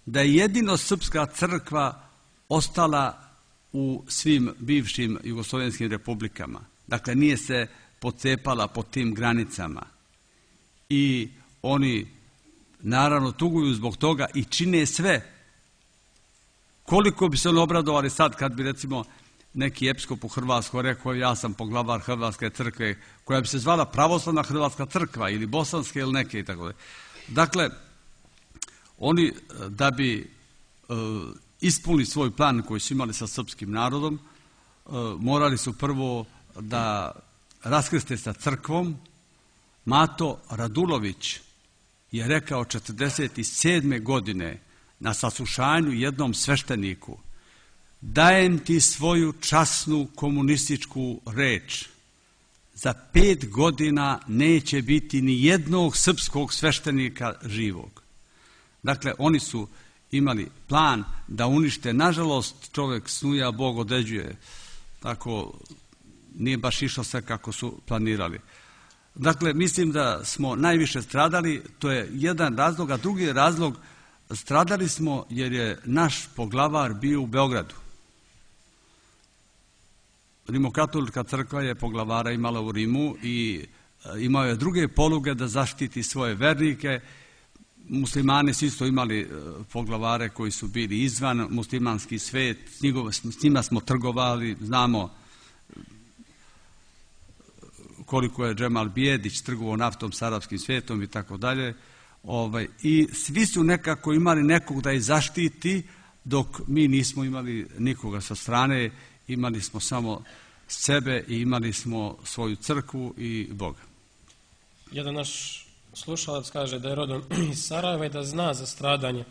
da je jedino srpska crkva ostala u svim bivšim jugoslovenskim republikama. Dakle, nije se pocepala po tim granicama. I oni naravno tuguju zbog toga i čine sve. Koliko bi se oni obradovali sad kad bi recimo neki episkop u Hrvatskoj rekao ja sam poglavar Hrvatske crkve koja bi se zvala Pravoslavna Hrvatska crkva ili bosanske ili neke i tako da. Dakle, oni da bi e, ispunili svoj plan koji su imali sa srpskim narodom, e, morali su prvo da raskrste sa crkvom. Mato Radulović je rekao četrdeset sedme godine na saslušanju jednom svešteniku: dajem ti svoju časnu komunističku reč za pet godina neće biti ni jednog srpskog sveštenika živog. Dakle, oni su imali plan da unište. Nažalost, čovjek snuja, Bog određuje. Tako nije baš išlo sve kako su planirali. Dakle, mislim da smo najviše stradali, to je jedan razlog, a drugi razlog, stradali smo jer je naš poglavar bio u Beogradu. Rimokatolička crkva je poglavara imala u Rimu i imao je druge poluge da zaštiti svoje vernike. Muslimani su isto imali poglavare koji su bili izvan muslimanski svet, s njima smo trgovali, znamo koliko je Džemal Bijedić trgovao naftom s arapskim svijetom i tako dalje. I svi su nekako imali nekog da ih zaštiti, dok mi nismo imali nikoga sa strane, imali smo samo sebe i imali smo svoju crkvu i Boga. Jedan naš slušalac kaže da je rodom iz Sarajeva i da zna za stradanje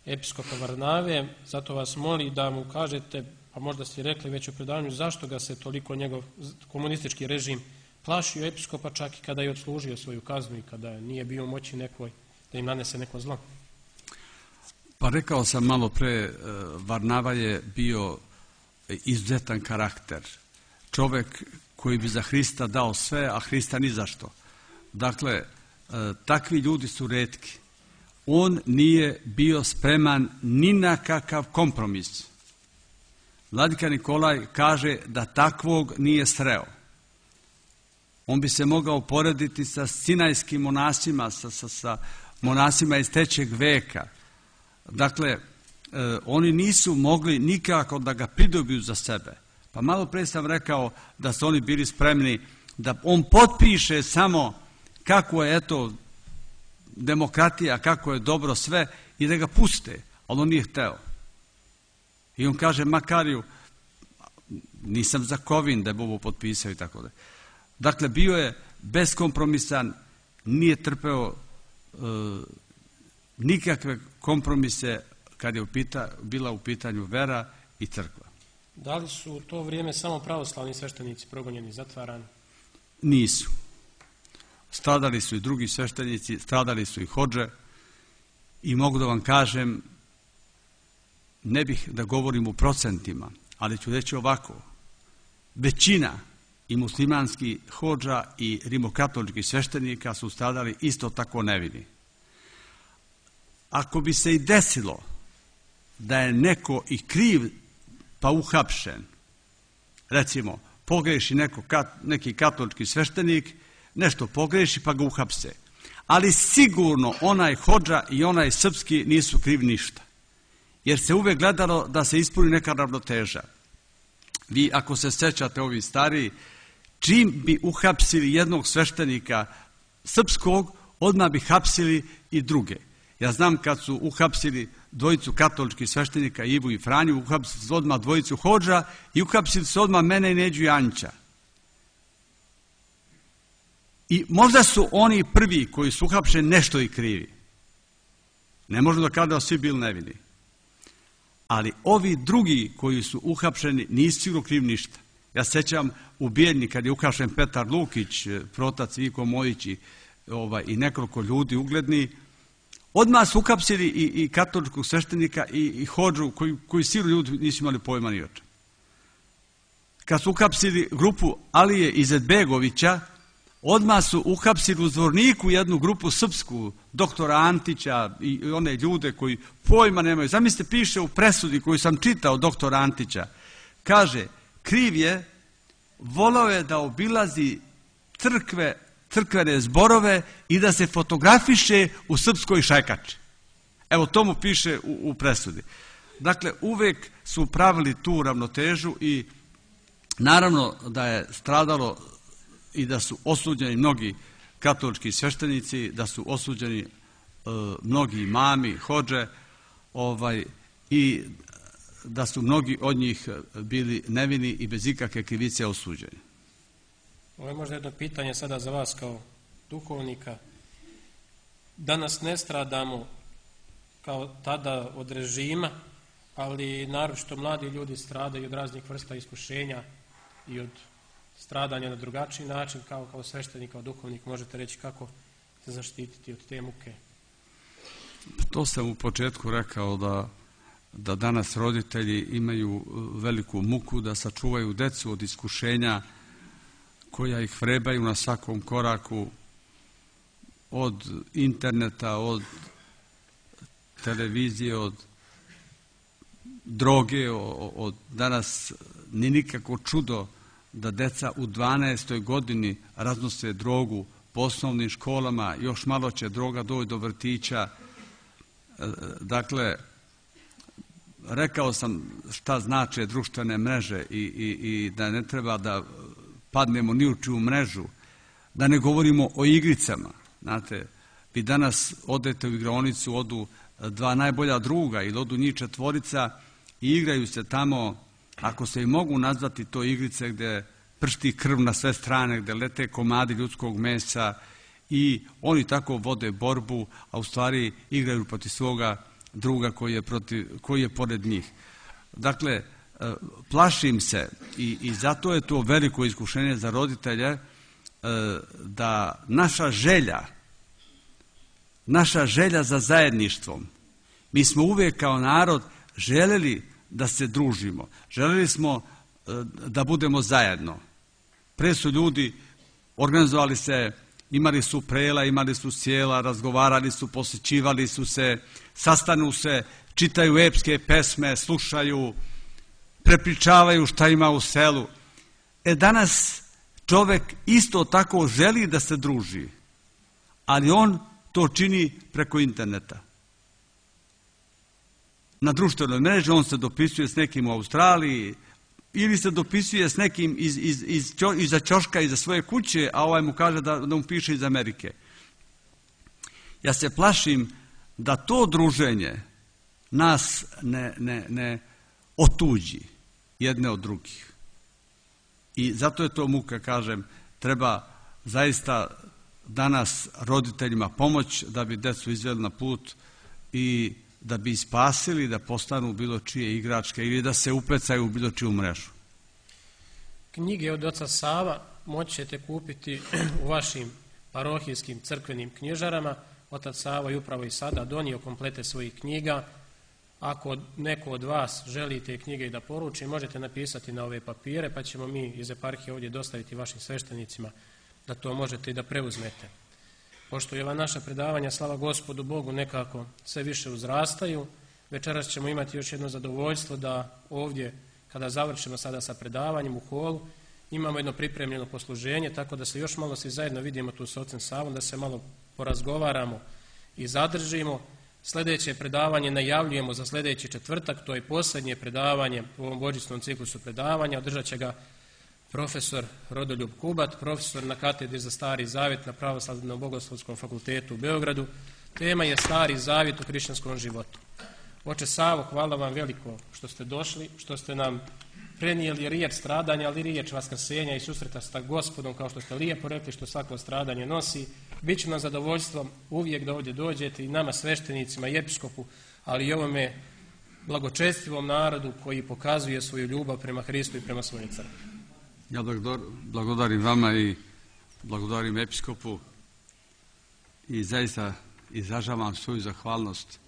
episkopa Varnave, zato vas moli da mu kažete, a možda ste rekli već u predavanju, zašto ga se toliko njegov komunistički režim plašio episkopa, čak i kada je odslužio svoju kaznu i kada nije bio u moći nekoj da im nanese neko zlo. Pa rekao sam malo pre, Varnava je bio izuzetan karakter. Čovjek koji bi za Hrista dao sve, a Hrista ni zašto. Dakle, takvi ljudi su retki. On nije bio spreman ni na kakav kompromis. Vladika Nikolaj kaže da takvog nije sreo. On bi se mogao porediti sa sinajskim monasima, sa, sa, sa monasima iz trećeg veka. Dakle, e, oni nisu mogli nikako da ga pridobiju za sebe. Pa malo pre sam rekao da su oni bili spremni da on potpiše samo kako je eto demokratija, kako je dobro sve i da ga puste, ali on nije hteo. I on kaže Makariju, nisam za Kovin da je ovo potpisao i tako da. Dakle, bio je beskompromisan, nije trpeo e, nikakve kompromise kad je upita, bila u pitanju vera i crkva. Da li su u to vrijeme samo pravoslavni sveštenici progonjeni, zatvarani? Nisu. Stradali su i drugi sveštenici, stradali su i hodže i mogu da vam kažem, ne bih da govorim u procentima, ali ću reći ovako. Većina i muslimanskih hodža i rimokatoličkih sveštenika su stradali isto tako nevini. Ako bi se i desilo da je neko i kriv pa uhapšen, recimo pogreši neko, neki katolički sveštenik, nešto pogreši pa ga uhapse, ali sigurno onaj hodža i onaj srpski nisu krivi ništa, jer se uvek gledalo da se ispuni neka ravnoteža. Vi ako se sećate ovi stariji, čim bi uhapsili jednog sveštenika srpskog, odmah bi hapsili i druge. Ja znam kad su uhapsili dvojicu katoličkih sveštenika, Ivu i Franju, uhapsili su odmah dvojicu hodža i uhapsili su odmah mene i Neđu i Anća. I možda su oni prvi koji su uhapšeni nešto i krivi. Ne možemo da kada da svi bili nevini. Ali ovi drugi koji su uhapšeni nisu sigurno krivi ništa. Ja sećam u Bijeljni kad je uhapšen Petar Lukić, protac Viko Mojić i, ovaj, i nekoliko ljudi ugledni, odmah su uhapsili i, i katoličkog sveštenika i, i hodžu koji, koji sigurno ljudi nisu imali pojma ni o čemu. Kad su uhapsili grupu Alije Izetbegovića, odmah su uhapsili u Zvorniku jednu grupu srpsku, doktora Antića i one ljude koji pojma nemaju. Zamislite, piše u presudi koju sam čitao doktora Antića. Kaže, kriv je, volao je da obilazi crkve, crkvene zborove i da se fotografiše u srpskoj šajkači. Evo, to mu piše u, u presudi. Dakle, uvek su pravili tu ravnotežu i naravno da je stradalo i da su osuđeni mnogi katolički sveštenici, da su osuđeni e, mnogi imami, hodže, ovaj, i da su mnogi od njih bili nevini i bez ikakve krivice osuđeni. Ovo je možda jedno pitanje sada za vas kao duhovnika. Danas ne stradamo kao tada od režima, ali naročito mladi ljudi stradaju od raznih vrsta iskušenja i od stradanja na drugačiji način, kao, kao sveštenik, kao duhovnik, možete reći kako se zaštititi od te muke? To sam u početku rekao da, da danas roditelji imaju veliku muku da sačuvaju decu od iskušenja koja ih vrebaju na svakom koraku, od interneta, od televizije, od droge, od danas ni nikako čudo da deca u dvanaestoj godini raznose drogu po osnovnim školama, još malo će droga doći do vrtića. Dakle, rekao sam šta znače društvene mreže i, i, i da ne treba da padnemo ni u čiju mrežu, da ne govorimo o igricama. Znate, vi danas odete u igraonicu, odu dva najbolja druga ili odu njih četvorica i igraju se tamo, ako se i mogu nazvati to igrice gdje pršti krv na sve strane, gdje lete komadi ljudskog mesa i oni tako vode borbu, a u stvari igraju protiv svoga druga koji je, protiv, koji je pored njih. Dakle, plašim se i, i zato je to veliko iskušenje za roditelje da naša želja, naša želja za zajedništvom, mi smo uvijek kao narod željeli da se družimo, željeli smo da budemo zajedno. Pre su ljudi organizovali se, imali su prela, imali su sjela, razgovarali su, posjećivali su se, sastanu se, čitaju epske pesme, slušaju, prepričavaju šta ima u selu. E danas čovjek isto tako želi da se druži, ali on to čini preko interneta. Na društvenoj mreži on se dopisuje s nekim u Australiji ili se dopisuje s nekim iz, iz, iz, iza ćoška, iza svoje kuće, a ovaj mu kaže da, da mu piše iz Amerike. Ja se plašim da to druženje nas ne, ne, ne otuđi jedne od drugih. I zato je to muka, kažem, treba zaista danas roditeljima pomoć da bi decu izveli na put i da bi spasili da postanu bilo čije igračke ili da se upecaju u bilo čiju mrežu. Knjige od oca Sava moći ćete kupiti u vašim parohijskim crkvenim knjižarama. Otac Sava je upravo i sada donio komplete svojih knjiga. Ako neko od vas želi te knjige i da poruči, možete napisati na ove papire, pa ćemo mi iz eparhije ovdje dostaviti vašim sveštenicima da to možete i da preuzmete. Pošto je ova naša predavanja, slava Gospodu Bogu, nekako sve više uzrastaju, večeras ćemo imati još jedno zadovoljstvo da ovdje, kada završimo sada sa predavanjem u holu, imamo jedno pripremljeno posluženje, tako da se još malo svi zajedno vidimo tu s ocem Savom, da se malo porazgovaramo i zadržimo. Sljedeće predavanje najavljujemo za sljedeći četvrtak, to je posljednje predavanje u ovom božićnom ciklusu predavanja, održat će ga profesor Rodoljub Kubat, profesor na katedri za Stari Zavjet na Pravoslavnom bogoslovskom fakultetu u Beogradu. Tema je Stari Zavjet u hrišćanskom životu. Oče Savo, hvala vam veliko što ste došli, što ste nam prenijeli riječ stradanja, ali riječ vaskrsenja i susreta sa Gospodom, kao što ste lijepo rekli, što svako stradanje nosi. Biće nam zadovoljstvom uvijek da ovdje dođete i nama sveštenicima i episkopu, ali i ovome blagočestivom narodu koji pokazuje svoju ljubav prema Hristu i prema svojoj crkvi. Ja blagodarim vama i blagodarim episkopu i zaista izražavam svoju zahvalnost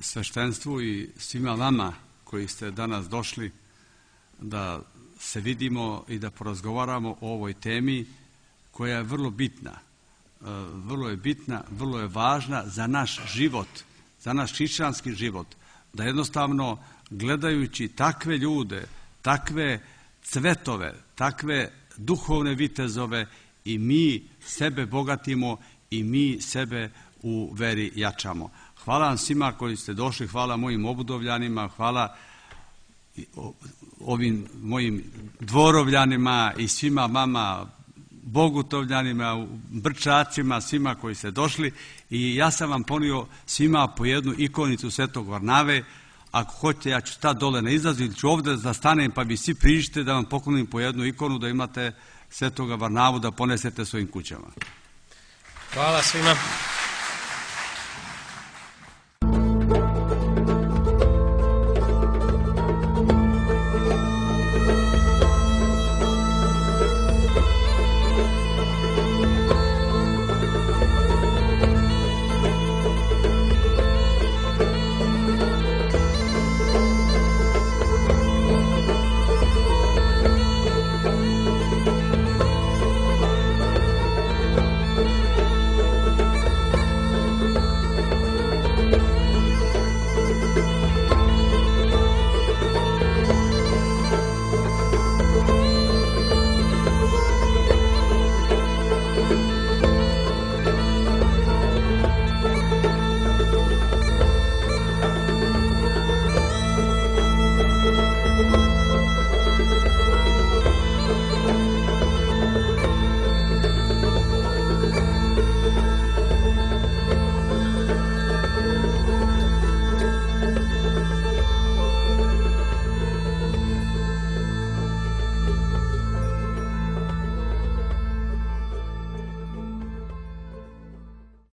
sveštenstvu i svima vama koji ste danas došli da se vidimo i da porazgovaramo o ovoj temi koja je vrlo bitna. Vrlo je bitna, vrlo je važna za naš život, za naš hrišćanski život. Da jednostavno gledajući takve ljude, takve cvetove, takve duhovne vitezove i mi sebe bogatimo i mi sebe u veri jačamo. Hvala vam svima koji ste došli, hvala mojim obudovljanima, hvala ovim mojim dvorovljanima i svima vama bogutovljanima, brčacima, svima koji ste došli i ja sam vam ponio svima po jednu ikonicu Svetog Varnave. Ako hoćete, ja ću stati dole na izlazu ili ću ovdje da stanem pa vi svi priđite da vam poklonim po jednu ikonu da imate Svetoga Varnavu da ponesete svojim kućama. Hvala svima.